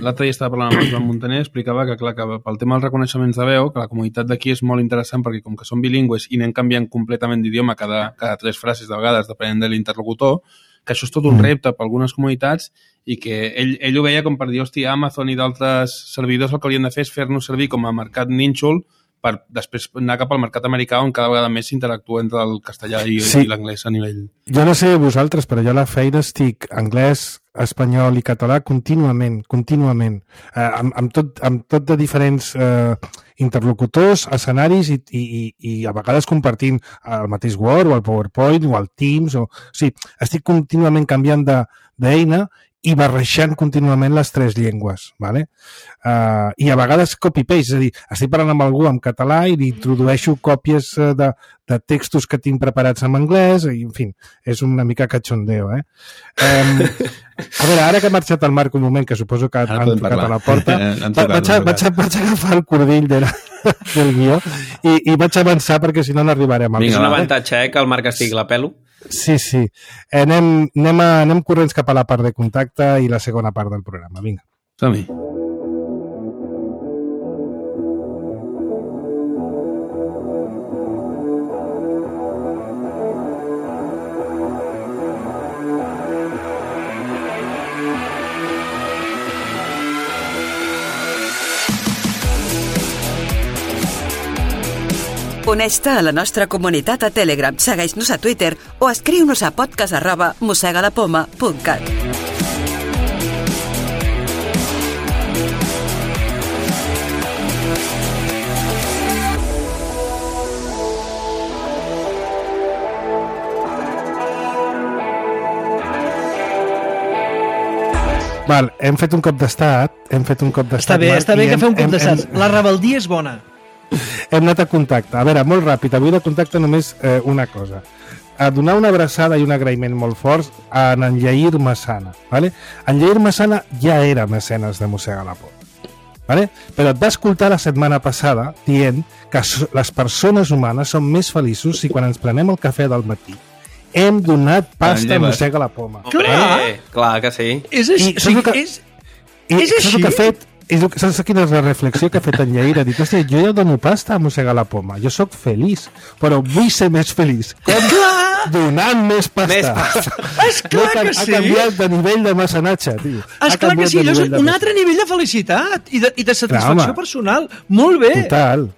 l'altre dia estava parlant amb el Joan Montaner, explicava que, clar, que pel tema dels reconeixements de veu, que la comunitat d'aquí és molt interessant perquè com que són bilingües i anem canviant completament d'idioma cada, cada tres frases de vegades, depenent de l'interlocutor, que això és tot un repte per algunes comunitats i que ell, ell ho veia com per dir, hòstia, Amazon i d'altres servidors el que haurien de fer és fer-nos servir com a mercat nínxol per després anar cap al mercat americà on cada vegada més s'interactua entre el castellà i, sí. i l'anglès a nivell... Jo no sé vosaltres, però jo a la feina estic anglès, espanyol i català contínuament, contínuament, eh, amb, amb, tot, amb tot de diferents eh, interlocutors, escenaris i, i, i a vegades compartint el mateix Word o el PowerPoint o el Teams. O, o sigui, estic contínuament canviant de, d'eina i barrejant contínuament les tres llengües, ¿vale? Uh, i a vegades copy-paste, és a dir, estic parlant amb algú en català i li introdueixo còpies de, de textos que tinc preparats en anglès, i en fi, és una mica cachondeo, eh? Um, a veure, ara que ha marxat el Marc un moment, que suposo que han tocat parlar a la porta, tocat, vaig, a, vaig, a, vaig a agafar el cordill de la, del guió i, i vaig avançar perquè si no no arribarem a... Vinga, és un avantatge, eh, que el Marc estigui la pelo. Sí, sí. Eh, anem, anem, a, anem corrents cap a la part de contacte i la segona part del programa. Vinga. Som-hi. Uneix-te a la nostra comunitat a Telegram, segueix-nos a Twitter o escriu-nos a podcast arroba mossegalapoma punt cat. Val, hem fet un cop d'estat, hem fet un cop d'estat. Està bé, Marc, està bé que hem, fem un cop hem, d'estat. hem, La rebeldia és bona. Hem anat a contacte. A veure, molt ràpid, avui de contacte només eh, una cosa. A donar una abraçada i un agraïment molt forts a en Jair Massana. ¿Vale? En Jair Massana ja era mecenes de Mossega la Por. ¿Vale? Però et va escoltar la setmana passada dient que les persones humanes són més feliços si quan ens prenem el cafè del matí hem donat pasta a Mossega la Poma. Clar, vale? Clar que sí. És així. I, que, és, i, és així. Que ha fet, és, saps quina és la reflexió que ha fet en Jair? Ha dit, hòstia, jo ja dono pasta a Mossega la Poma. Jo sóc feliç, però vull ser més feliç. Com? Donant més pasta. Més pasta. Esclar no, que ha, sí. Ha canviat de nivell de mecenatge, tio. Esclar que sí, allò és un altre nivell de felicitat i de, i de satisfacció Clar, personal. Molt bé. Total.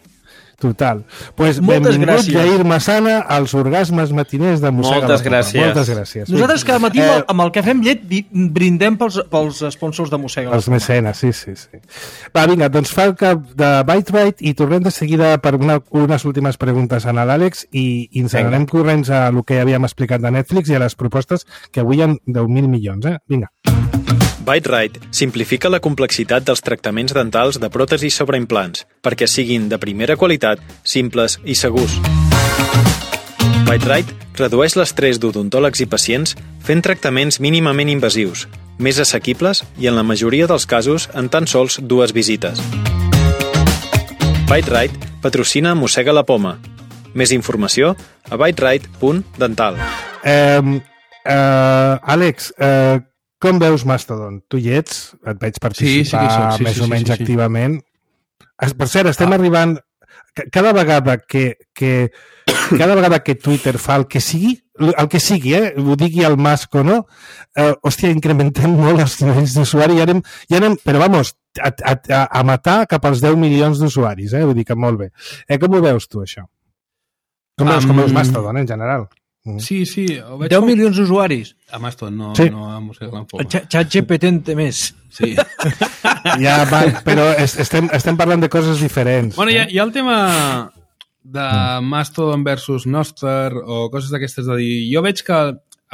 Total. Pues Moltes benvingut, gràcies. Jair Massana, als orgasmes matiners de Mossega Moltes la Poma. gràcies. Moltes gràcies. Nosaltres cada matí eh, amb el cafè amb llet brindem pels, pels sponsors de Mossega la Poma. Els mecenes, sí, sí, sí. Va, vinga, doncs fa el cap de Byte Byte i tornem de seguida per una, unes últimes preguntes a l'Àlex i, i ens anem corrents a el que havíem explicat de Netflix i a les propostes, que avui hi ha deu mil milions, eh? Vinga. Bite-Rite simplifica la complexitat dels tractaments dentals de pròtesis sobre implants perquè siguin de primera qualitat, simples i segurs. Bite-Rite redueix l'estrès d'odontòlegs i pacients fent tractaments mínimament invasius, més assequibles i en la majoria dels casos en tan sols dues visites. Bite-Rite patrocina Mossega la Poma. Més informació a bite-rite punt dental. Eh, eh, Àlex, eh, com veus Mastodon? Tu hi ets? Et veig participar sí, sí que soc, sí, més sí, o menys sí, sí. activament. Per cert, estem ah. arribant... Cada vegada que, que cada vegada que Twitter fa el que sigui, el que sigui, eh? Ho digui el Musk o no, eh, hòstia, incrementem molt els nivells d'usuari i anem, i anem, però vamos, a, a, a matar cap als deu milions d'usuaris, eh? Vull dir que molt bé. Eh, com ho veus tu, això? Com veus, um, com veus Mastodon, en general? Sí, sí. deu milions d'usuaris? A Mastodon, no, sí. no a Mossega la Poma. ChatGPT en té més. Sí. Ja, va, però estem, estem parlant de coses diferents. Bueno, hi ha, hi ha el tema de Mastodon versus Nostr o coses d'aquestes de dir... Jo veig que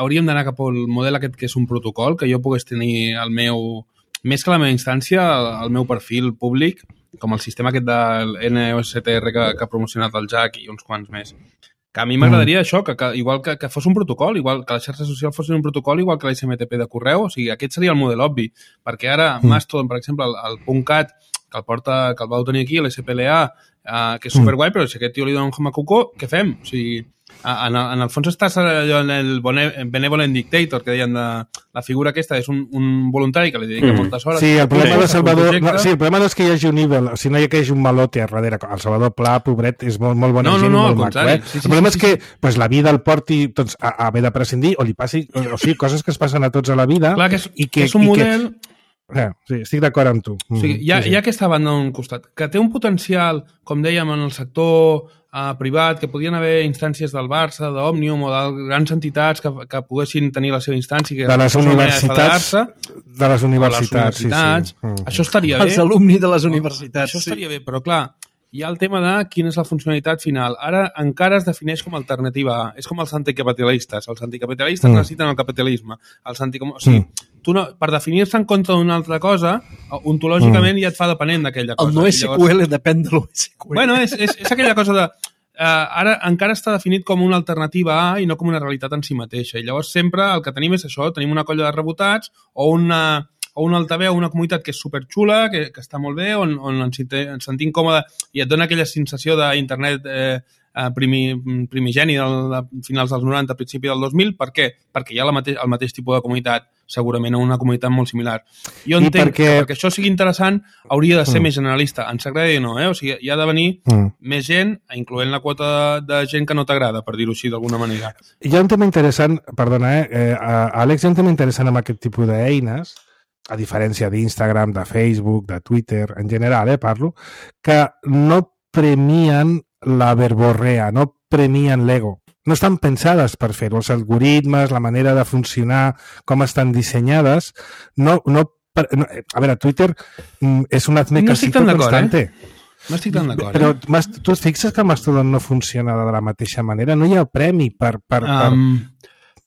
hauríem d'anar cap al model aquest que és un protocol, que jo pogués tenir el meu... Més que la meva instància, el meu perfil públic, com el sistema aquest del N O S T R que, que ha promocionat el Jack i uns quants més. Que a mi m'agradaria mm. això, que, que igual que, que fos un protocol, igual que la xarxa social fos un protocol, igual que la S M T P de correu, o sigui, aquest seria el model obvi, perquè ara mm. Mastodon, per exemple, el, el .cat, que el porta, que el vau tenir aquí, l'S P L A, eh, que és superguai, però si aquest tio li dona un hamacuco, què fem? O sigui, en, en el fons estàs allò en el benevolent dictator, que deien de, la figura aquesta és un, un voluntari que li dedica mm. moltes hores. Sí, el problema de Salvador, no, sí, el problema no és que hi hagi un evil, si no hi ha que hi hagi un malote a darrere. El Salvador Pla, pobret, és molt, molt bona no, gent no, no, i molt maco. Eh? Sí, sí, el problema sí, sí, és que sí. pues, la vida el porti doncs, a, a haver de prescindir o li passi, o, o sigui, coses que es passen a tots a la vida. Clar, que és, i que, que és un i model... Que, Eh, sí, estic d'acord amb tu. O sigui, hi ha, sí, sí. hi ha aquesta banda d'un costat, que té un potencial, com dèiem, en el sector uh, privat, que podien haver instàncies del Barça, d'Òmnium o de grans entitats que, que poguessin tenir la seva instància. Que de les universitats. De les universitats, universitats sí, sí. Mm. Això estaria bé. Els alumni de les universitats. Això estaria sí. bé, però clar, hi ha el tema de quina és la funcionalitat final. Ara encara es defineix com a alternativa A. És com els anticapitalistes. Els anticapitalistes mm. necessiten el capitalisme. Els anticom... O sigui, mm. tu no, per definir-se en contra d'una altra cosa, ontològicament mm. ja et fa depenent d'aquella cosa. El no S Q L llavors... depèn de l'O S Q L. Bueno, és, és, és aquella cosa de... Uh, ara encara està definit com una alternativa A i no com una realitat en si mateixa. I llavors sempre el que tenim és això, tenim una colla de rebotats o una... o un altaveu, una comunitat que és superxula, que, que està molt bé, on, on ens, ens sentim còmode i et dona aquella sensació d'internet eh, primi, primigeni del, de finals dels noranta, principi del dos mil. Per què? Perquè hi ha la mateix, el mateix tipus de comunitat, segurament una comunitat molt similar. Jo entenc perquè... que perquè això sigui interessant hauria de ser mm. més generalista. Ens agrada o no, eh? O sigui, hi ha de venir mm. més gent, incloent la quota de, de gent que no t'agrada, per dir-ho així d'alguna manera. Hi ha un tema interessant, perdona, eh? eh Àlex, hi ha un tema interessant amb aquest tipus d'eines, a diferència d'Instagram, de Facebook, de Twitter, en general, eh, parlo, que no premien la verborrea, no premien l'ego. No estan pensades per fer-ho. Els algoritmes, la manera de funcionar, com estan dissenyades, no... no, no a veure, Twitter és un azmecasito no constante. Eh? No estic tan d'acord. Però eh? tu et fixes que Mastodon no funciona de la mateixa manera? No hi ha premi per... per, per... Um...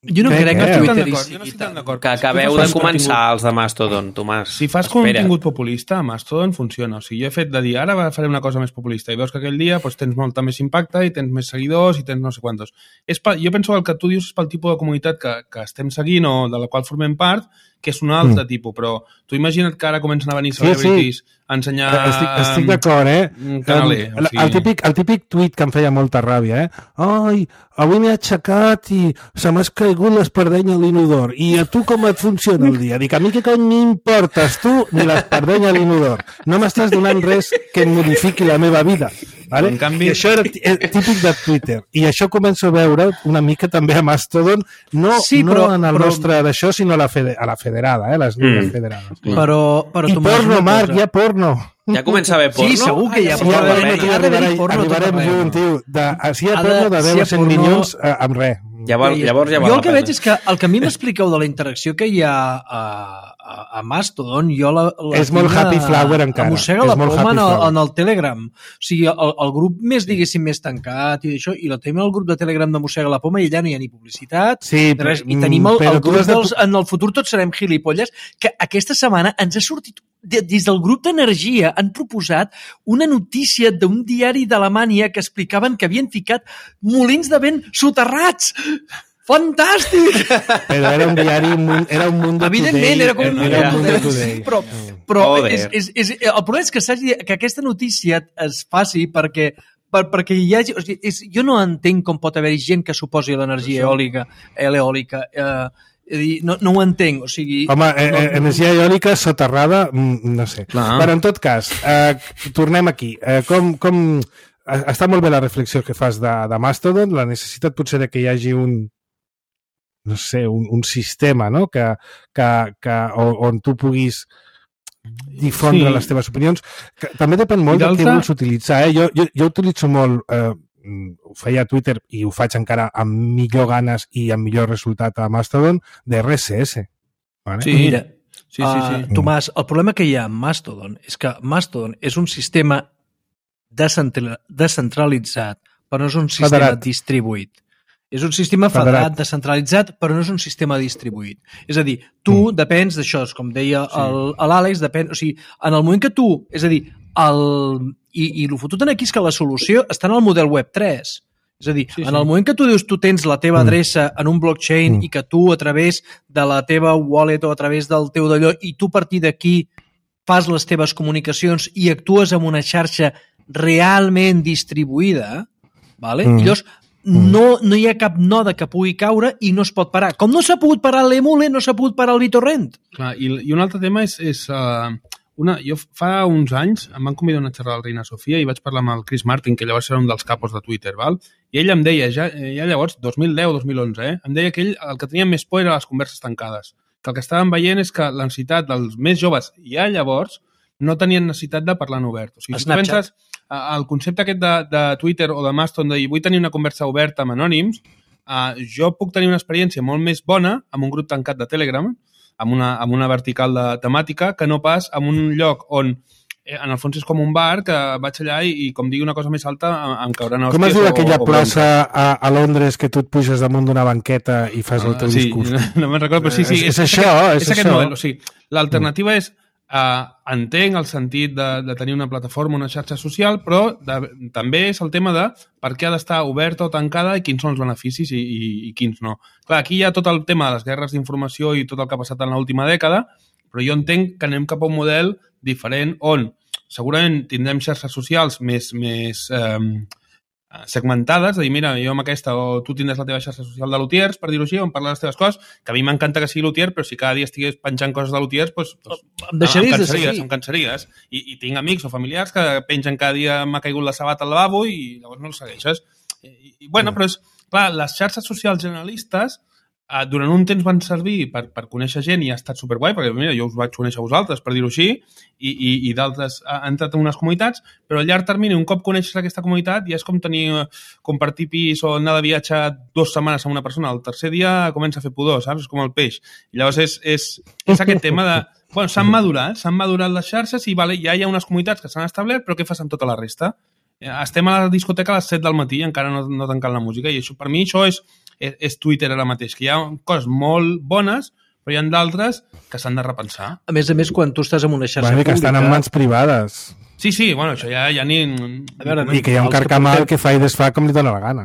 Jo no crec que Twitter i... Jo no estic tan d'acord. Que acabeu de començar els de Mastodon, Tomàs. Si fas contingut populista, Mastodon funciona. O sigui, jo he fet de dir, ara faré una cosa més populista, i veus que aquell dia doncs, tens molta més impacte, i tens més seguidors, i tens no sé quantos. És pa... Jo penso que el que tu dius és pel tipus de comunitat que, que estem seguint o de la qual formem part, que és un altre mm. tipus, però tu imagina't que ara comencen a venir celebrities sí, sí. a ensenyar... Estic, estic d'acord, eh? Canaler, el, o sigui... el, típic, el típic tuit que em feia molta ràbia, eh? Ai, avui m'he aixecat i se m'ha caigut l'espardenya a l'inodor. I a tu com et funciona el dia? Dic, a mi que cony m'importes tu ni l'espardenya a l'inodor. No m'estàs donant res que em modifiqui la meva vida. Vale? En canvi... I això era típic de Twitter. I això començo a veure una mica també a Mastodon, no, sí, però, no en el però... nostre d'això, sinó a la, fede, a la federada, eh? Les línies mm. federades. Però, però I porno, Marc, hi ha porno. Ja comença a haver porno? Sí, segur que hi ha porno. Sí, porno, arribarem, arribarem junt, tio. De, si hi ha porno de deu a cent milions, eh, amb res. Llavors, llavors ja jo el que veig és que el que a mi m'expliqueu de la interacció que hi ha a, a a Mastodon jo la, la és molt happy flower encara. Mossega la poma en el, en el Telegram. O sigui, el, el grup més, diguéssim, més tancat i això, i la tenim el grup de Telegram de Mossega la poma i allà no hi ha ni publicitat, sí, res, i tenim el, el grup dels... En el futur tots serem gilipolles, que aquesta setmana ens ha sortit des del grup d'Energia han proposat una notícia d'un diari d'Alemanya que explicaven que havien ficat molins de vent soterrats. Fantàstic! Però era un diari, era un Mundo Today. Evidentment, era com un era un Mundo Today. Però, però és, és, és, el problema és que, que aquesta notícia es faci perquè per, perquè hi hagi... O sigui, és, jo no entenc com pot haver gent que suposi l'energia eòlica, eòlica eh, no, no ho entenc, o sigui... Home, no, eh, energia eòlica soterrada, no sé. Clar. Però en tot cas, eh, tornem aquí. Eh, com... com està molt bé la reflexió que fas de, de Mastodon, la necessitat potser de que hi hagi un no sé, un, un sistema, no? Que, que, que, on tu puguis difondre sí. les teves opinions. Que també depèn molt del que vols utilitzar. Eh? Jo, jo, jo utilitzo molt, eh, ho feia a Twitter i ho faig encara amb millor ganes i amb millor resultat a Mastodon, de R S S. Vale? Sí, mira, sí, sí, sí. Uh, Tomàs, el problema que hi ha amb Mastodon és que Mastodon és un sistema descentralitzat, però no és un sistema Federat. distribuït. És un sistema federat, federat, descentralitzat, però no és un sistema distribuït. És a dir, tu mm. depens d'això, com deia sí. l'Àlex, depèn, o sigui, en el moment que tu, és a dir, el, i, i el fotut aquí és que la solució està en el model web tres. És a dir, sí, sí. en el moment que tu dius tu tens la teva adreça mm. en un blockchain mm. i que tu a través de la teva wallet o a través del teu d'allò i tu a partir d'aquí fas les teves comunicacions i actues en una xarxa realment distribuïda, vale? Mm. I llavors no, no hi ha cap node que pugui caure i no es pot parar. Com no s'ha pogut parar l'Emule, no s'ha pogut parar el BitTorrent. Clar, i, i un altre tema és... és uh, una, jo fa uns anys em van convidar a una xerrada al Reina Sofia i vaig parlar amb el Chris Martin, que llavors era un dels capos de Twitter, val? I ell em deia, ja, ja llavors, dos mil deu dos mil onze, eh? em deia que ell el que tenia més por era les converses tancades. Que el que estàvem veient és que la necessitat dels més joves ja llavors no tenien necessitat de parlar en obert. O sigui, si tu penses el concepte aquest de, de Twitter o de Mastodon de dir vull tenir una conversa oberta amb anònims, uh, jo puc tenir una experiència molt més bona amb un grup tancat de Telegram, amb una, amb una vertical de temàtica, que no pas en un lloc on eh, en el fons és com un bar que vaig allà i, i com digui una cosa més alta em cauran hòsties. Com es diu aquella o, o plaça a, a Londres que tu et puges damunt d'una banqueta i fas uh, el teu sí, discurs? No, no me'n recordo, però sí, sí. És, és, és és això, aquest, és, és això. aquest model. O sigui, l'alternativa és Uh, entenc el sentit de, de tenir una plataforma, una xarxa social, però de, també és el tema de per què ha d'estar oberta o tancada i quins són els beneficis i, i, i quins no. Clar, aquí hi ha tot el tema de les guerres d'informació i tot el que ha passat en l'última dècada, però jo entenc que anem cap a un model diferent on segurament tindrem xarxes socials més, més eh, segmentades, de dir, mira, jo amb aquesta, o tu tindràs la teva xarxa social de l'Utiers, per dir-ho així, on parlar les teves coses, que a mi m'encanta que sigui l'Utier, però si cada dia estigués penjant coses de l'Utiers, doncs, doncs em deixaries em de seguir. Em cansaries. I, I tinc amics o familiars que pengen cada dia m'ha caigut la sabata al lavabo i llavors no els segueixes. I, i bueno, però és, clar, les xarxes socials generalistes Uh, durant un temps van servir per, per conèixer gent i ha estat superguai, perquè mira, jo us vaig conèixer a vosaltres, per dir-ho així, i, i, i d'altres han entrat en unes comunitats, però a llarg termini, un cop coneixes aquesta comunitat, ja és com tenir, compartir pis o anar de viatge dues setmanes amb una persona, el tercer dia comença a fer pudor, saps? És com el peix. I llavors és, és, és aquest tema de... Bueno, s'han madurat, s'han madurat les xarxes i vale, ja hi ha unes comunitats que s'han establert, però què fas amb tota la resta? Estem a la discoteca a les set del matí i encara no, no tancant la música, i això, per mi això és és Twitter ara mateix, que hi ha coses molt bones, però hi ha d'altres que s'han de repensar. A més a més, quan tu estàs en una xarxa bueno, pública... que estan en mans privades. Sí, sí, bueno, això ja, ja ni... A veure, I que hi ha un carcamal que, que fa i desfà com li dona la gana.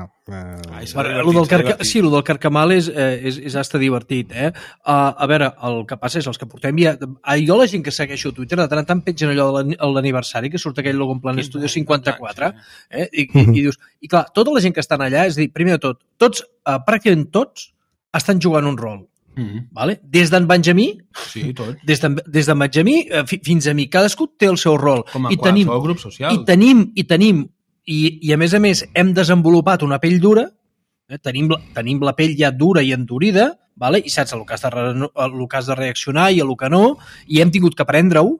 Ai, lo del carca... Sí, el del carcamal és, és, és hasta divertit, eh? Uh, a veure, el que passa és els que portem ja... Jo la gent que segueixo a Twitter de tant en tant pengen allò de l'aniversari, que surt aquell logo en plan Estudio cinquanta-quatre, eh? I, i, i dius... I clar, tota la gent que estan allà, és a dir, primer de tot, tots, uh, pràcticament tots, estan jugant un rol. Mm-hmm. Vale? Des d'en Benjamí, sí, tot. Des d'en des Benjamí fins a mi, cadascú té el seu rol. Com a I tenim, grup social. I tenim, i tenim, i, i a més a més hem desenvolupat una pell dura, eh? tenim, tenim la pell ja dura i endurida, vale? I saps el que, has de, el que has de reaccionar i el que no, i hem tingut que aprendre-ho,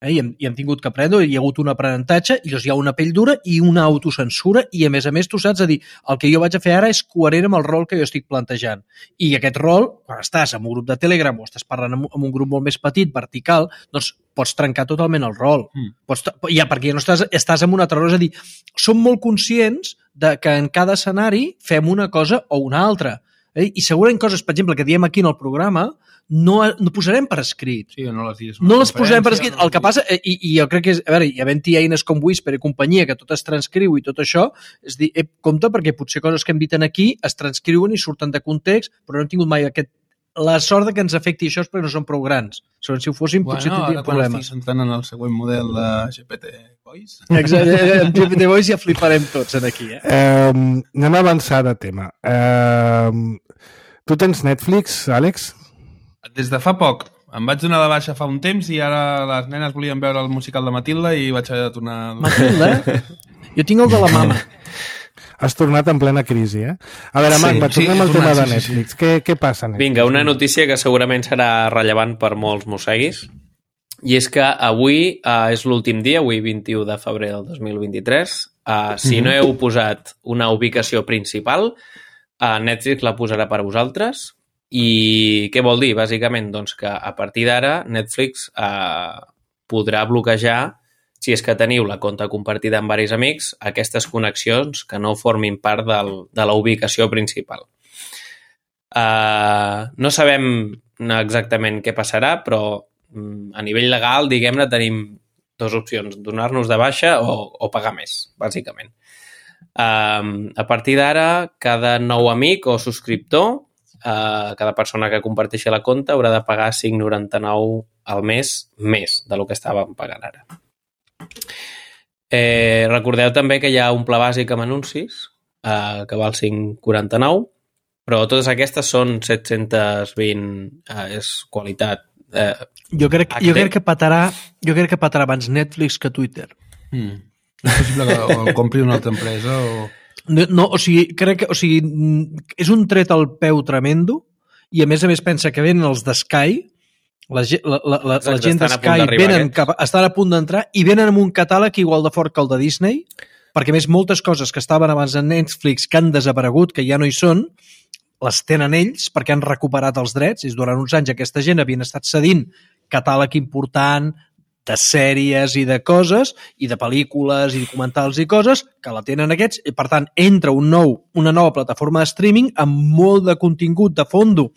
Eh? I, hem, I hem tingut que aprendre, hi ha hagut un aprenentatge, i llavors hi ha una pell dura i una autocensura, i a més a més tu saps a dir, el que jo vaig a fer ara és coherent amb el rol que jo estic plantejant. I aquest rol, quan estàs en un grup de Telegram o estàs parlant amb, amb un grup molt més petit, vertical, doncs pots trencar totalment el rol. Mm. Pots, ja, perquè ja no estàs, estàs en un altre rol. És a dir, som molt conscients de que en cada escenari fem una cosa o una altra. Eh? I segurament coses, per exemple, que diem aquí en el programa, no, no posarem per escrit. Sí, no les digues. No les posarem per escrit. El que passa, i, i jo crec que és, a veure, hi havent-hi eines com Whisper i companyia, que tot es transcriu i tot això, és dir, eh, compte, perquè potser coses que hem dit aquí es transcriuen i surten de context, però no hem tingut mai aquest la sort de que ens afecti això és perquè no són prou grans. Segons si ho fossin, bueno, potser tindríem problemes. Bueno, ara quan estic sentant en el següent model de G P T Voice. Exacte, en G P T Voice ja fliparem tots en aquí. Eh? Eh, anem a avançar de tema. Eh, tu tens Netflix, Àlex? Des de fa poc. Em vaig donar de baixa fa un temps i ara les nenes volien veure el musical de Matilda i vaig haver de tornar... Matilda? Jo tinc el de la mama. Has tornat en plena crisi, eh? A veure, Marc, sí, va, tornem sí, al tema de Netflix. Sí, sí. Què, què passa a Netflix? Vinga, una notícia que segurament serà rellevant per molts mosseguis, i és que avui uh, és l'últim dia, avui vint-i-u de febrer del dos mil vint-i-tres. Uh, si no heu posat una ubicació principal, uh, Netflix la posarà per a vosaltres. I què vol dir? Bàsicament, doncs, que a partir d'ara Netflix uh, podrà bloquejar, si és que teniu la compte compartida amb diversos amics, aquestes connexions que no formin part del, de la ubicació principal. Uh, no sabem exactament què passarà, però um, a nivell legal, diguem-ne, tenim dues opcions, donar-nos de baixa o, o pagar més, bàsicament. Uh, a partir d'ara, cada nou amic o subscriptor, uh, cada persona que comparteixi la compte haurà de pagar cinc coma noranta-nou al mes més del que estàvem pagant ara. Eh, recordeu també que hi ha un pla bàsic amb anuncis eh, que val cinc coma quaranta-nou, però totes aquestes són set-cents vint, eh, és qualitat eh, jo, crec, jo crec que patarà jo crec que patarà abans Netflix que Twitter. mm. És possible que el compri una altra empresa o... No, no, o sigui, crec que o sigui, és un tret al peu tremendo i a més a més pensa que venen els de Sky. La, la, la, la, la gent de Sky venen cap, estan a punt d'entrar i venen amb un catàleg igual de fort que el de Disney, perquè més moltes coses que estaven abans en Netflix que han desaparegut, que ja no hi són, les tenen ells perquè han recuperat els drets. És durant uns anys aquesta gent havien estat cedint catàleg important de sèries i de coses, i de pel·lícules i documentals i coses, que la tenen aquests, i per tant entra un nou, una nova plataforma de streaming amb molt de contingut de fondo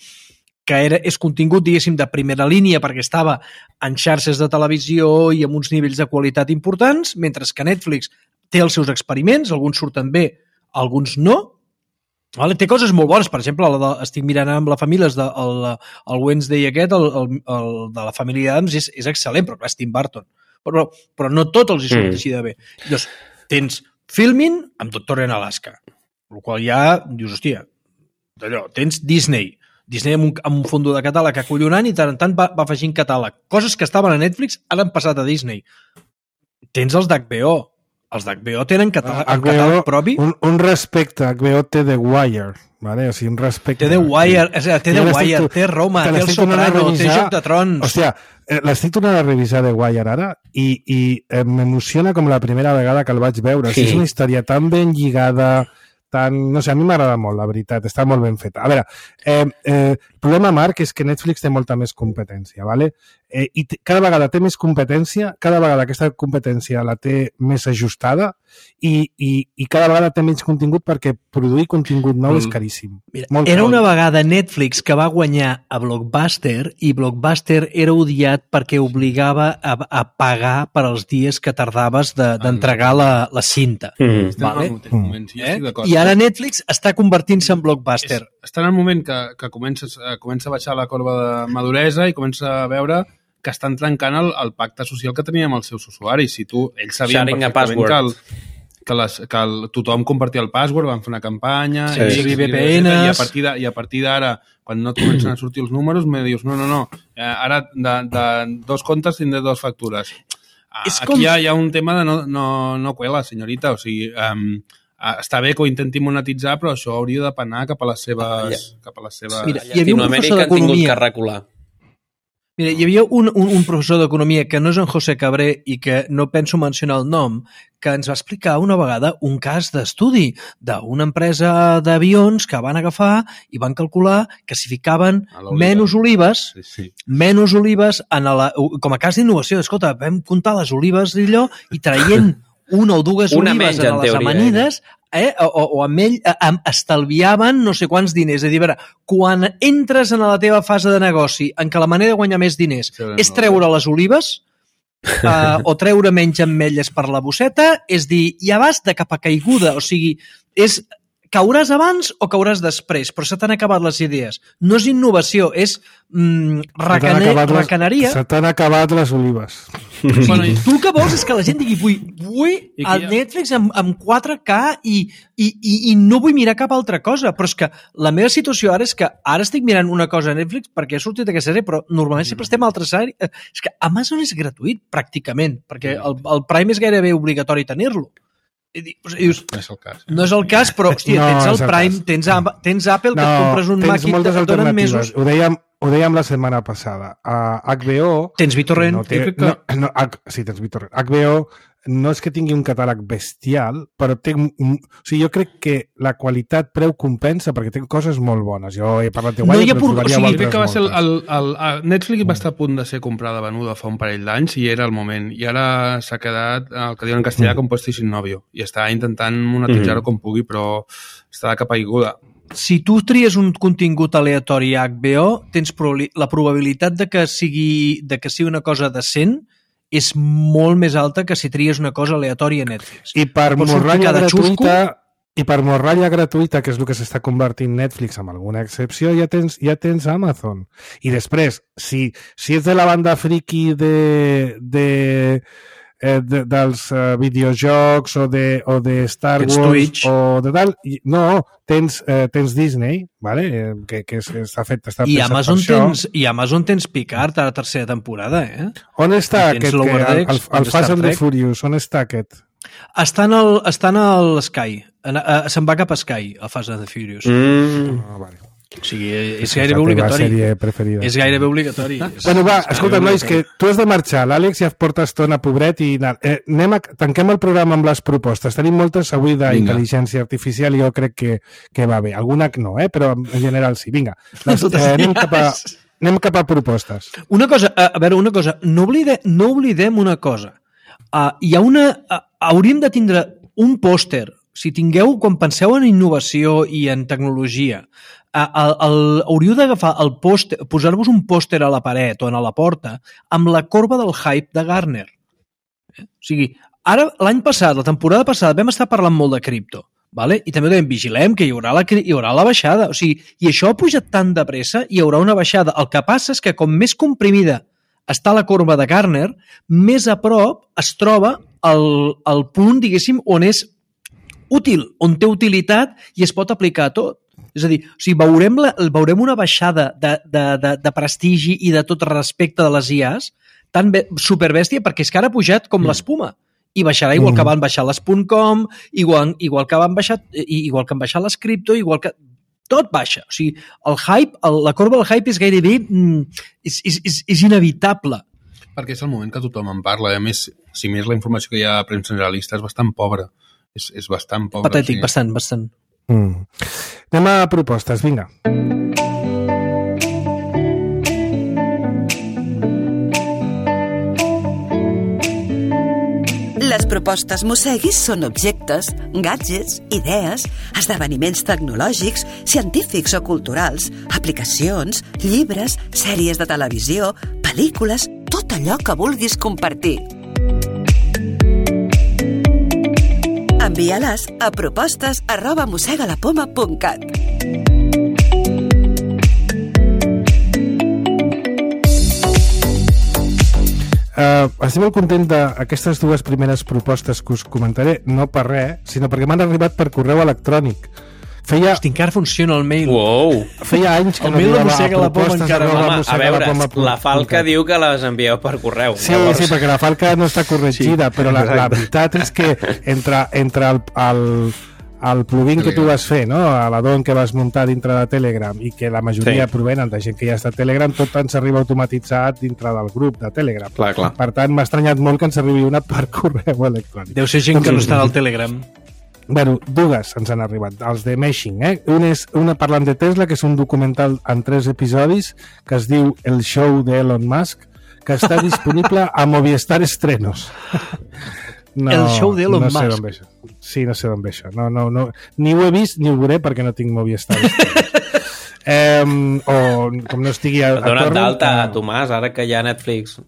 que era, és contingut, diguéssim, de primera línia perquè estava en xarxes de televisió i amb uns nivells de qualitat importants, mentre que Netflix té els seus experiments, alguns surten bé, alguns no. Vale? Té coses molt bones, per exemple, la de, estic mirant amb la família, de, el, el Wednesday aquest, el, el, el de la família Adams, és, és excel·lent, però clar, és Tim Burton. Però, però no tot els hi surt mm. així de bé. Llavors, tens Filmin amb Doctor en Alaska, el qual ja dius, hòstia, d'allò, tens Disney, Disney amb un, amb un fondo de catàleg acollonant i tant en tant va, va afegint catàleg. Coses que estaven a Netflix ara han passat a Disney. Tens els d'H B O. Els d'H B O tenen catàleg, H B O, catàleg propi. Un, un respecte, H B O té The Wire. Vale? O sigui, un respecte. Té The Wire, sí. té The Wire, tu, té Roma, té El Soprano, té Joc de Trons. O sigui, l'estic tornant a revisar The Wire ara i, i eh, m'emociona com la primera vegada que el vaig veure. Sí. O sigui, és una història tan ben lligada, tan... no sé, a mi m'agrada molt, la veritat, està molt ben feta. A veure, eh, eh, el problema, Marc, és que Netflix té molta més competència, ¿vale? Eh, i cada vegada té més competència, cada vegada aquesta competència la té més ajustada i, i, i cada vegada té menys contingut perquè produir contingut nou mm. és caríssim. Mira, molt era una vegada Netflix que va guanyar a Blockbuster i Blockbuster era odiat perquè obligava a, a pagar per als dies que tardaves d'entregar de, la, la cinta. Mm. Vale? Mm. Sí, eh? I ara Netflix està convertint-se en Blockbuster. És, està en el moment que, que comences, comença a baixar la corba de maduresa i comença a veure que estan trencant el, el pacte social que tenien amb els seus usuaris. Si tu, ells sabien Sharing perfectament que, el, que, les, que el, tothom compartia el password, van fer una campanya, sí, i, sí, V P Ns, i a partir de, i a partir d'ara, quan no et comencen a sortir els números, me dius, no, no, no, ara de, de dos comptes tindré dues factures. És Aquí com... hi, ha, hi ha un tema de no, no, no cuela, senyorita, o sigui... Um, està bé que ho intenti monetitzar, però això hauria de penar cap a les seves... Cap a les seves... Mira, hi havia un professor d'economia... que recular. Mira, hi havia un, un, un professor d'economia que no és en José Cabré i que no penso mencionar el nom, que ens va explicar una vegada un cas d'estudi d'una empresa d'avions que van agafar i van calcular que si ficaven menys olives, sí, sí. menys olives en la, com a cas d'innovació. Escolta, vam comptar les olives d'allò i traient una o dues una olives en, en les teoria, amanides eh? o, o, o amb ell eh, estalviaven no sé quants diners. És a dir, a veure, quan entres en la teva fase de negoci en què la manera de guanyar més diners sí, és treure les olives uh, o treure menys ametlles per la bosseta, és dir, ja vas de cap a caiguda, o sigui, és cauràs abans o cauràs després, però se t'han acabat les idees. No és innovació, és mm, recaner, recaneria. Se t'han acabat les olives. Bueno, tu el que vols és que la gent digui vull, vull el Netflix amb, amb quatre K i, i, i, i no vull mirar cap altra cosa, però és que la meva situació ara és que ara estic mirant una cosa a Netflix perquè he sortit d'aquesta sèrie, però normalment sempre estem a altres sèries. És que Amazon és gratuït, pràcticament, perquè el, el Prime és gairebé obligatori tenir-lo. Dius, no és el cas. No és el cas, però, hòstia, no, tens el Prime, tens, tens Apple, que no, et compres un Mac i et donen mesos. Ho dèiem, ho dèiem la setmana passada. A H B O... Tens BitTorrent. No té, no, no, sí, tens BitTorrent. H B O no és que tingui un catàleg bestial, però té... O sigui, jo crec que la qualitat preu compensa perquè té coses molt bones. Jo he parlat de Guanya, no, però trobaria o sigui, crec que va ser el, el, el, el Netflix va estar a punt de ser comprada, venuda fa un parell d'anys i era el moment. I ara s'ha quedat, el que diuen en castellà, mm. compuesto y sin novio. I està intentant monetitzar-ho mm. com pugui, però està de cap aiguda. Si tu tries un contingut aleatori a H B O, tens la probabilitat de que sigui, de que sigui una cosa decent és molt més alta que si tries una cosa aleatòria a Netflix. I per morralla gratuïta, i per morralla gratuïta, que és el que s'està convertint Netflix amb alguna excepció, ja tens, ja tens Amazon. I després, si, si ets de la banda friki de... de Eh, de, dels uh, videojocs o de, o de Star Wars Twitch. O de tal, no, tens, eh, tens Disney, vale? eh, que, que està fet, està I Amazon tens, i Amazon tens Picard a la tercera temporada, eh? On està aquest, que, el, el, el Fast and the Furious, on està aquest? Està en el, està en el Sky, en, uh, se'n va cap a Sky, el Fast and the Furious. Mm. Ah, vale. O sigui, és gairebé obligatori. És gairebé obligatori. Bueno, va, escolta, nois, que tu has de marxar. L'Àlex ja porta estona, pobret, i eh, anem a, tanquem el programa amb les propostes. Tenim moltes avui d'intel·ligència artificial i jo crec que, que va bé. Alguna no, eh? Però en general sí. Vinga, les, eh, anem, cap a, anem cap a propostes. Una cosa, a veure, una cosa. No, oblide, no oblidem una cosa. Uh, hi ha una... Uh, hauríem de tindre un pòster. Si tingueu, quan penseu en innovació i en tecnologia, El, el, hauríeu d'agafar el pòster, posar-vos un pòster a la paret o a la porta amb la corba del hype de Gartner. Eh? O sigui, ara, l'any passat, la temporada passada, vam estar parlant molt de cripto, vale? I també dèiem, vigilem que hi haurà, la, hi haurà la baixada. O sigui, i això ha pujat tan de pressa, hi haurà una baixada. El que passa és que com més comprimida està la corba de Gartner, més a prop es troba el, el punt, diguéssim, on és útil, on té utilitat i es pot aplicar a tot. És a dir, o sigui, veurem, la, veurem una baixada de, de, de, de prestigi i de tot respecte de les I As tan be, superbèstia, perquè és que ara ha pujat com mm. l'espuma. I baixarà igual mm. que van baixar les .com, igual, igual, que van baixar, igual que han baixat les cripto, igual que... Tot baixa. O sigui, el hype, el, la corba del hype és gairebé... Mm, és, és, és, és inevitable. Perquè és el moment que tothom en parla. A més, si més la informació que hi ha a premsa generalista és bastant pobra. És, és bastant pobra. Patètic, sí. bastant, bastant. Mm. Anem a propostes, vinga. Les propostes Mosseguis són objectes, gadgets, idees, esdeveniments tecnològics, científics o culturals, aplicacions, llibres, sèries de televisió, pel·lícules, tot allò que vulguis compartir. Envia-les a propostes arroba mossegalapoma punt cat. Uh, estic molt content d'aquestes dues primeres propostes que us comentaré, no per res, sinó perquè m'han arribat per correu electrònic. Feia... Hosti, encara funciona el mail. Wow. Feia anys que el no arribava a propostes encara... Home, a veure, la Falca diu que les envieu per correu. Sí, llavors... sí, perquè la Falca no està corregida, sí, però la, la veritat és que entre, entre el, el, el plugin que tu vas fer, no? L'addon que vas muntar dintre de Telegram i que la majoria sí. provenen de gent que ja està a Telegram, tot ens arriba automatitzat dintre del grup de Telegram. Clar, clar. Per tant, m'ha estranyat molt que ens arribi una per correu electrònic. Deu ser gent que no està al Telegram. Bueno, dues ens han arribat, els de Meshing, eh? Una és una parlant de Tesla, que és un documental en tres episodis que es diu El show d'Elon Musk, que està disponible a Movistar Estrenos. No, el show d'Elon no sé Musk. Ve això. Sí, no sé d'on ve això. No, no, no. Ni ho he vist ni ho veuré perquè no tinc Movistar Estrenos. eh, o com no estigui a, a Dona't torre... d'alta, eh... Tomàs, ara que hi ha Netflix.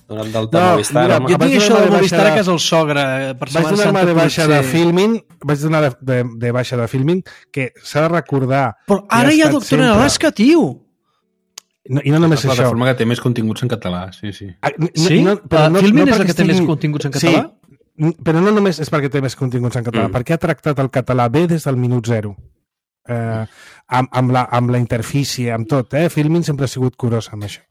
Dona't d'alta No, a Movistar. mira, home. Jo tinc això de Movistar a casa el sogre. Per Vaig donar-me de baixa de Filmin, vaig donar de, de, de baixa de Filmin, que s'ha de recordar... Però ara hi ha Doctor en Alaska, tio! No, I no només la això. plataforma que té més continguts en català, sí, sí. Ah, no, Sí? No, però Uh, no, Filmin no és la perquè que té més estigui- continguts en català? Sí, però no només és perquè té més continguts en català, Mm. perquè ha tractat el català bé des del minut zero. Eh, amb, amb, la, amb la interfície, amb tot, eh? Filmin sempre ha sigut curós amb això.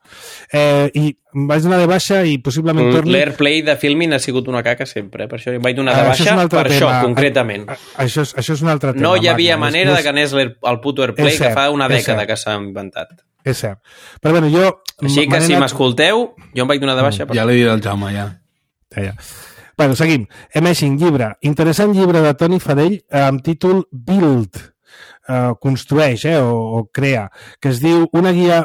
Eh, I em vaig donar de baixa i possiblement torni... L'Airplay de Filmin ha sigut una caca sempre, per això em vaig donar de Ah, això és baixa un altre per tema. això, concretament. A, a, això, és, això és un altre tema. No hi havia Magna. manera És- de que anés l'Air- el puto Airplay, És cert, que fa una és dècada cert. que s'ha inventat. És cert. Però bueno, jo... Així que me n'he si anat- m'escolteu, jo em vaig donar de baixa. Per... Ja l'he dit al Jaume, ja. Ja, ja. Bueno, seguim. Emeshing, llibre. Interessant llibre de Toni Fadell eh, amb títol Build. Eh, construeix, eh, o, o crea, que es diu Una guia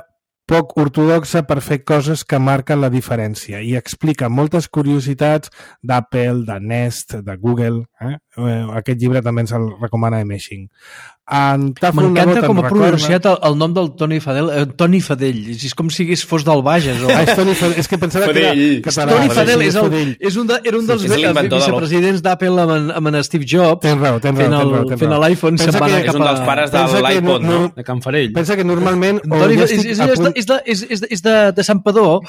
poc ortodoxa per fer coses que marquen la diferència i explica moltes curiositats d'Apple, de Nest, de Google. Eh? Eh, aquest llibre també ens el recomana Emeshing. En Tafel M'encanta Nebot com en ha recorda- pronunciat el, el nom del Toni Fadell. Eh, Toni Fadell. És com si fos del Bages. O... Ah, és Toni Fadell. És que pensava Fadell. que era català. Toni però Fadell sí, és, el, Fadell. és un de, era un dels És l'inventor de l'O. vicepresidents d'Apple amb, en- amb en Steve Jobs. Tens raó, tens raó, fent tens el, raó, tens fent raó. l'iPhone se'n Pensa va que anar És cap un a... dels pares de Pensa que l'iPod, no- no? De Can Farell. Pensa que normalment... o Toni, jo és, estic és, a és, punt- de, és, de, és, és, de, és de, de Sant Padó.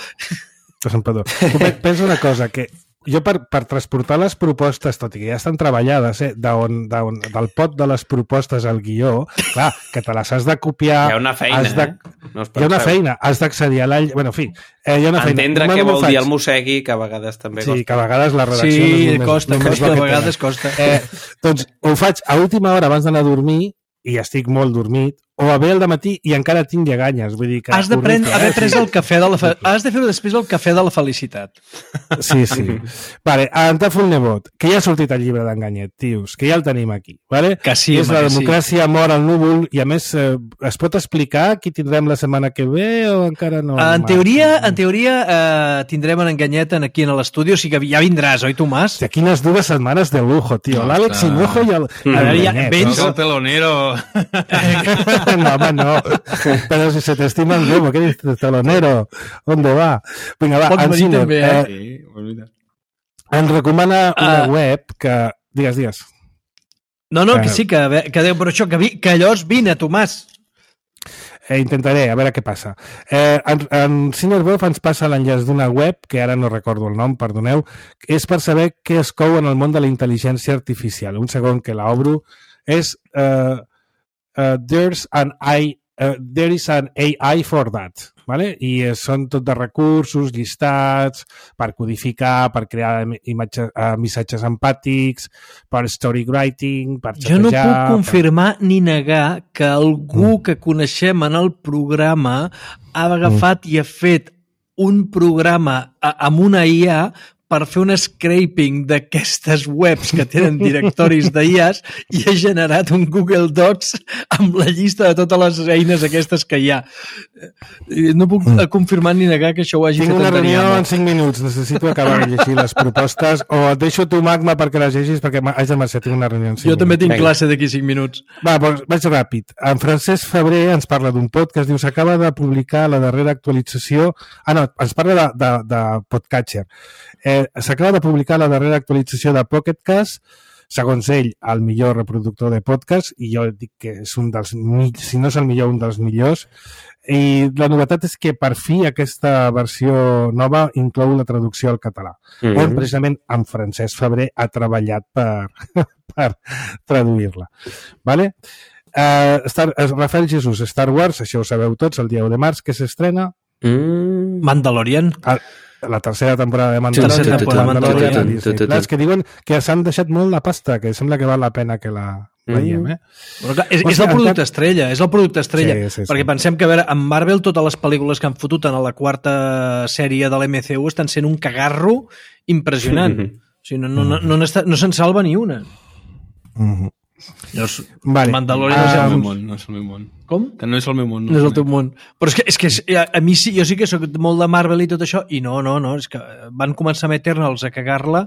de Sant Padó. Tu pe- pensa una cosa, que jo per, per transportar les propostes, tot i que ja estan treballades, eh, d'on, d'on, del pot de les propostes al guió, clar, que te les has de copiar... Hi ha una feina, has de, eh? No us hi ha una penseu. feina, has d'accedir a la... Bueno, en fi, eh, hi ha una feina. Entendre què Normalment vol ho dir faig. el mossegui, que a vegades també Sí, costa. que a vegades la redacció Sí, no és només, costa, només costa, el que a vegades tenen. costa. Eh, doncs ho faig a última hora abans d'anar a dormir i estic molt dormit, o a bé al matí i encara tinc lleganyes. Vull dir que Has de prendre, horrible, haver eh? pres el cafè de la fe... Has de fer-ho després el cafè de la felicitat. Sí, sí. Vale, en Tafel Nebot, que ja ha sortit el llibre d'Enganyet, tios, que ja el tenim aquí. Vale? Que sí, és home, la que sí. democràcia mor al núvol i a més eh, es pot explicar qui tindrem la setmana que ve o encara no? En teoria, en teoria eh, tindrem en Enganyet aquí en l'estudi, o sigui que ja vindràs, oi, Tomàs? Hòstia, quines dues setmanes de lujo, tio. No, L'Àlex està- Hinojo i el... A veure, ja Enganyet, vens- no? El telonero. No, home, no. Pero si se te estima el globo, ¿qué dices, telonero? ¿Dónde va? Vinga, va, Pots venir Ensiner, també, eh? eh, Sí, pues mira. ens recomana una Ah. web que... Digues, digues. No, no, que Eh. sí, que, que Déu, però això, que, vi, que llavors vine, Tomàs. Eh, intentaré, a veure què passa. Eh, en, en Cinerbov ens passa l'enllaç d'una web, que ara no recordo el nom, perdoneu, és per saber què es cou en el món de la intel·ligència artificial. Un segon que l'obro. És uh, uh, There's an I, uh, There is an A I for that. Vale? I eh, són tot de recursos, llistats, per codificar, per crear imatges, eh, missatges empàtics, per storywriting, per Jo no xatejar... puc confirmar ni negar que algú que coneixem en el programa ha agafat i ha fet un programa a- amb una I A per fer un scraping d'aquestes webs que tenen directoris d'I As i ha generat un Google Docs amb la llista de totes les eines aquestes que hi ha. Eh, No puc mm. confirmar ni negar que això ho hagi Tinc fet una en reunió Daniel. en cinc minuts. Necessito acabar de llegir les propostes o et deixo tu, Magma, perquè les llegis perquè haig de marxar. Tinc una reunió en cinc Jo també minuts. tinc Vinga. classe d'aquí cinc minuts. Va, doncs vaig ràpid. En Francesc Febrer ens parla d'un pod que es diu s'acaba de publicar la darrera actualització... Ah, no, ens parla de, de, de Podcatcher. Eh, s'acaba de publicar la darrera actualització de Pocket Cast, segons ell, el millor reproductor de podcast, i jo dic que és un dels, si no és el millor, un dels millors. I la novetat és que per fi aquesta versió nova inclou la traducció al català, mm -hmm. on precisament en Francesc Febrer ha treballat per, per traduir-la. Vale? Uh, Star, Rafael Jesús, Star Wars, això ho sabeu tots, el dia u de març, que s'estrena Mm. Mandalorian. a, la tercera temporada de Mandalorian, Tercera temporada de Mandalorian. Disney Plus, que diuen que s'han deixat molt la pasta, que sembla que val la pena que la veiem, eh? Però clar, és, és el producte estrella, és el producte estrella, sí, sí, sí. perquè pensem que, a veure, amb Marvel totes les pel·lícules que han fotut en la quarta sèrie de l'M C U estan sent un cagarro impressionant. Mm-hmm. O sigui, no, no, no, no, no, no se'n salva ni una. Mm-hmm. Llavors, vale. Mandalorian No és el um, meu món, no és el meu món. Com? Que no és el meu món. No és el teu món. Però és que, és que és, a, a mi sí, jo sí que soc molt de Marvel i tot això, i no, no, no, és que van començar amb Eternals a cagar-la,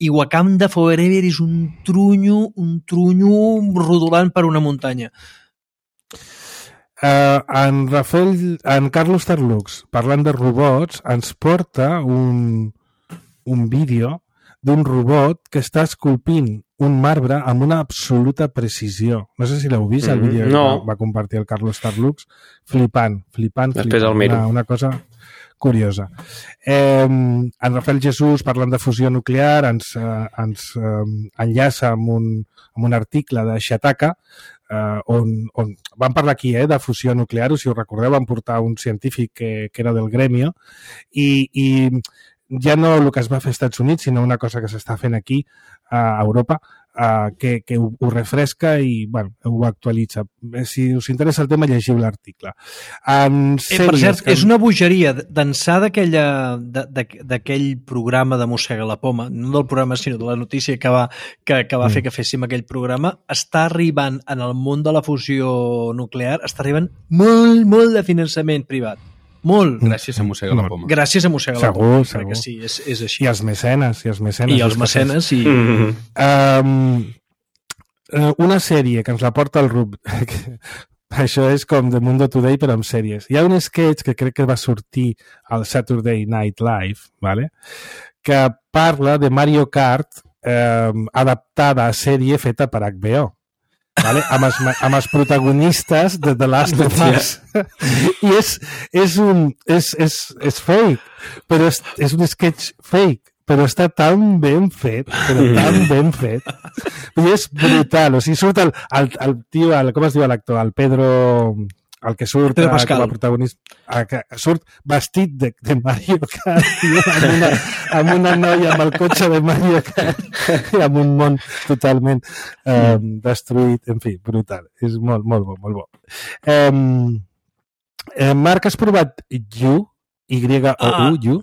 i Wakanda Forever és un trunyo, un trunyo rodolant per una muntanya. Uh, en Rafael, en Carlos Tarlux, parlant de robots, ens porta un, un vídeo d'un robot que està esculpint un marbre amb una absoluta precisió. No sé si l'heu vist, el vídeo no. que va, va compartir el Carlos Tarlux. Flipant, flipant, Després flipant. el miro. Una, una cosa curiosa. Eh, en Rafael Jesús, parlant de fusió nuclear, ens, eh, ens eh, enllaça amb un, amb un article de Shataka, eh, on, on vam parlar aquí eh, de fusió nuclear, o si us recordeu, vam portar un científic que, que era del gremio, i, i ja no el que es va fer als Estats Units, sinó una cosa que s'està fent aquí a Europa, uh, que, que ho, ho refresca i bueno, ho actualitza. Si us interessa el tema, llegiu l'article. En eh, per cert, que... és una bogeria d'ençà d'aquell programa de Mossega la Poma, no del programa, sinó de la notícia que va, que, que va mm. fer que féssim aquell programa, està arribant en el món de la fusió nuclear, està arribant molt, molt de finançament privat. Molt. Gràcies a Mossega la Poma. Gràcies a Mossega la segur, Poma. Segur, sí, és, és així. I els mecenes, i els mecenes. I els mecenes, i... Um, una sèrie que ens la porta el Rub, això és com The Mundo Today, però amb sèries. Hi ha un sketch que crec que va sortir al Saturday Night Live, ¿vale? Que parla de Mario Kart eh, adaptada a sèrie feta per H B O. Vale? Amb, els, amb els protagonistes de The Last of Us. I és, és un és, és, és fake, però és, és un sketch fake, però està tan ben fet, però tan ben fet. I és brutal, o sigui, surt el, el, el tio, el, com es diu l'actor? El Pedro... el que surt Pedro Pascal. com a protagonista, que surt vestit de, de Mario Kart, tio, amb, una, amb una noia amb el cotxe de Mario Kart i amb un món totalment eh, destruït, en fi, brutal. És molt, molt bo, molt bo. Eh, eh, Marc, has provat You? Y O U, You?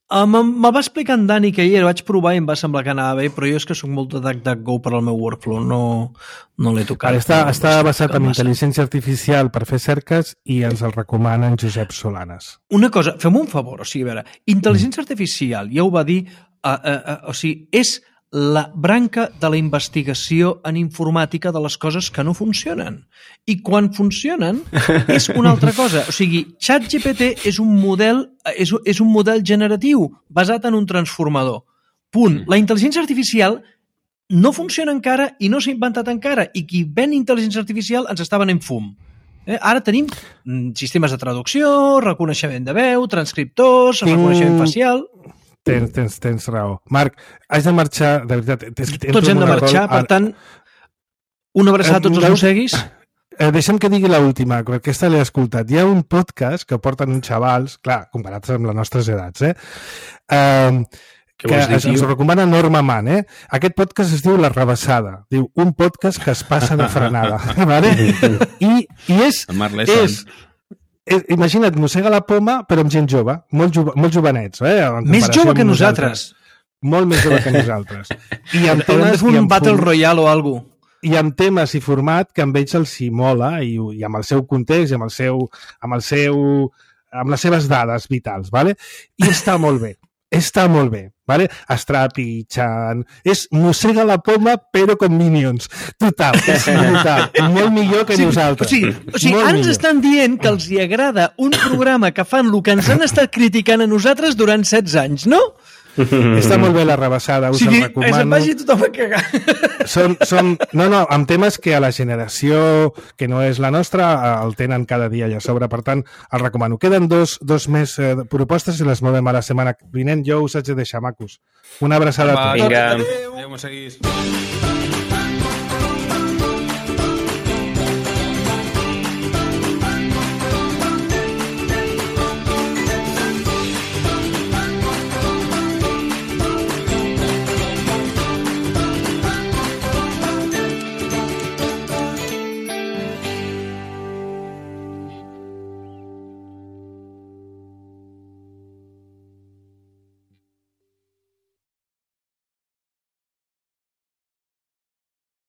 Uh, Me'l va explicar en Dani que ahir vaig provar i em va semblar que anava bé, però jo és que soc molt de DuckDuckGo per al meu workflow, no, no l'he tocat. Ara està, no, està basat en intel·ligència artificial per fer cerques i ens el recomana en Josep Solanes. Una cosa, fem un favor, o sigui, a veure, intel·ligència artificial, ja ho va dir, uh, uh, uh, o sigui, és la branca de la investigació en informàtica de les coses que no funcionen. I quan funcionen és una altra cosa. O sigui, ChatGPT és un model, és, és un model generatiu basat en un transformador. Punt. La intel·ligència artificial no funciona encara i no s'ha inventat encara. I qui ven intel·ligència artificial ens està venent fum. Eh? Ara tenim sistemes de traducció, reconeixement de veu, transcriptors, Tinc... reconeixement facial... Tens, tens, tens raó. Marc, has de marxar, de veritat. Tots hem de marxar, per tant, una abraçada a tots els mosseguis. Eh, deixa'm que digui l'última, perquè aquesta l'he escoltat. Hi ha un podcast que porten uns xavals, clar, comparats amb les nostres edats, eh? Uh, que dir, es, ens recomana Norma Mann, eh? Aquest podcast es diu La Rebassada. Diu, un podcast que es passa de frenada. Vale? I, i és... és imagina't, Mossega la Poma, però amb gent jove, molt, jove, molt jovenets. Eh? Més jove que nosaltres. Molt més jove que nosaltres. I amb temes, Haurem de fer un Battle Royale o alguna cosa. I amb temes i format que amb ells els hi mola i, i amb el seu context i amb, el seu, amb, el seu, amb les seves dades vitals. Vale? I està molt bé. Està molt bé, vale? Es trepitjant, és Mossega la Poma però com Minions, total, és total, molt millor que sí, nosaltres. O sigui, o sigui ara ens estan dient que els hi agrada un programa que fan el que ens han estat criticant a nosaltres durant setze anys, no? Està molt bé La Rebassada, us o sigui, el recomano. Se'n vagi tothom a cagar. Són, són, no, no, amb temes que a la generació que no és la nostra el tenen cada dia allà a sobre, per tant, el recomano. Queden dos, dos més eh, propostes i les movem a la setmana vinent. Jo us haig de deixar, macos. Una abraçada a tots. Vinga. Adéu, mosseguis.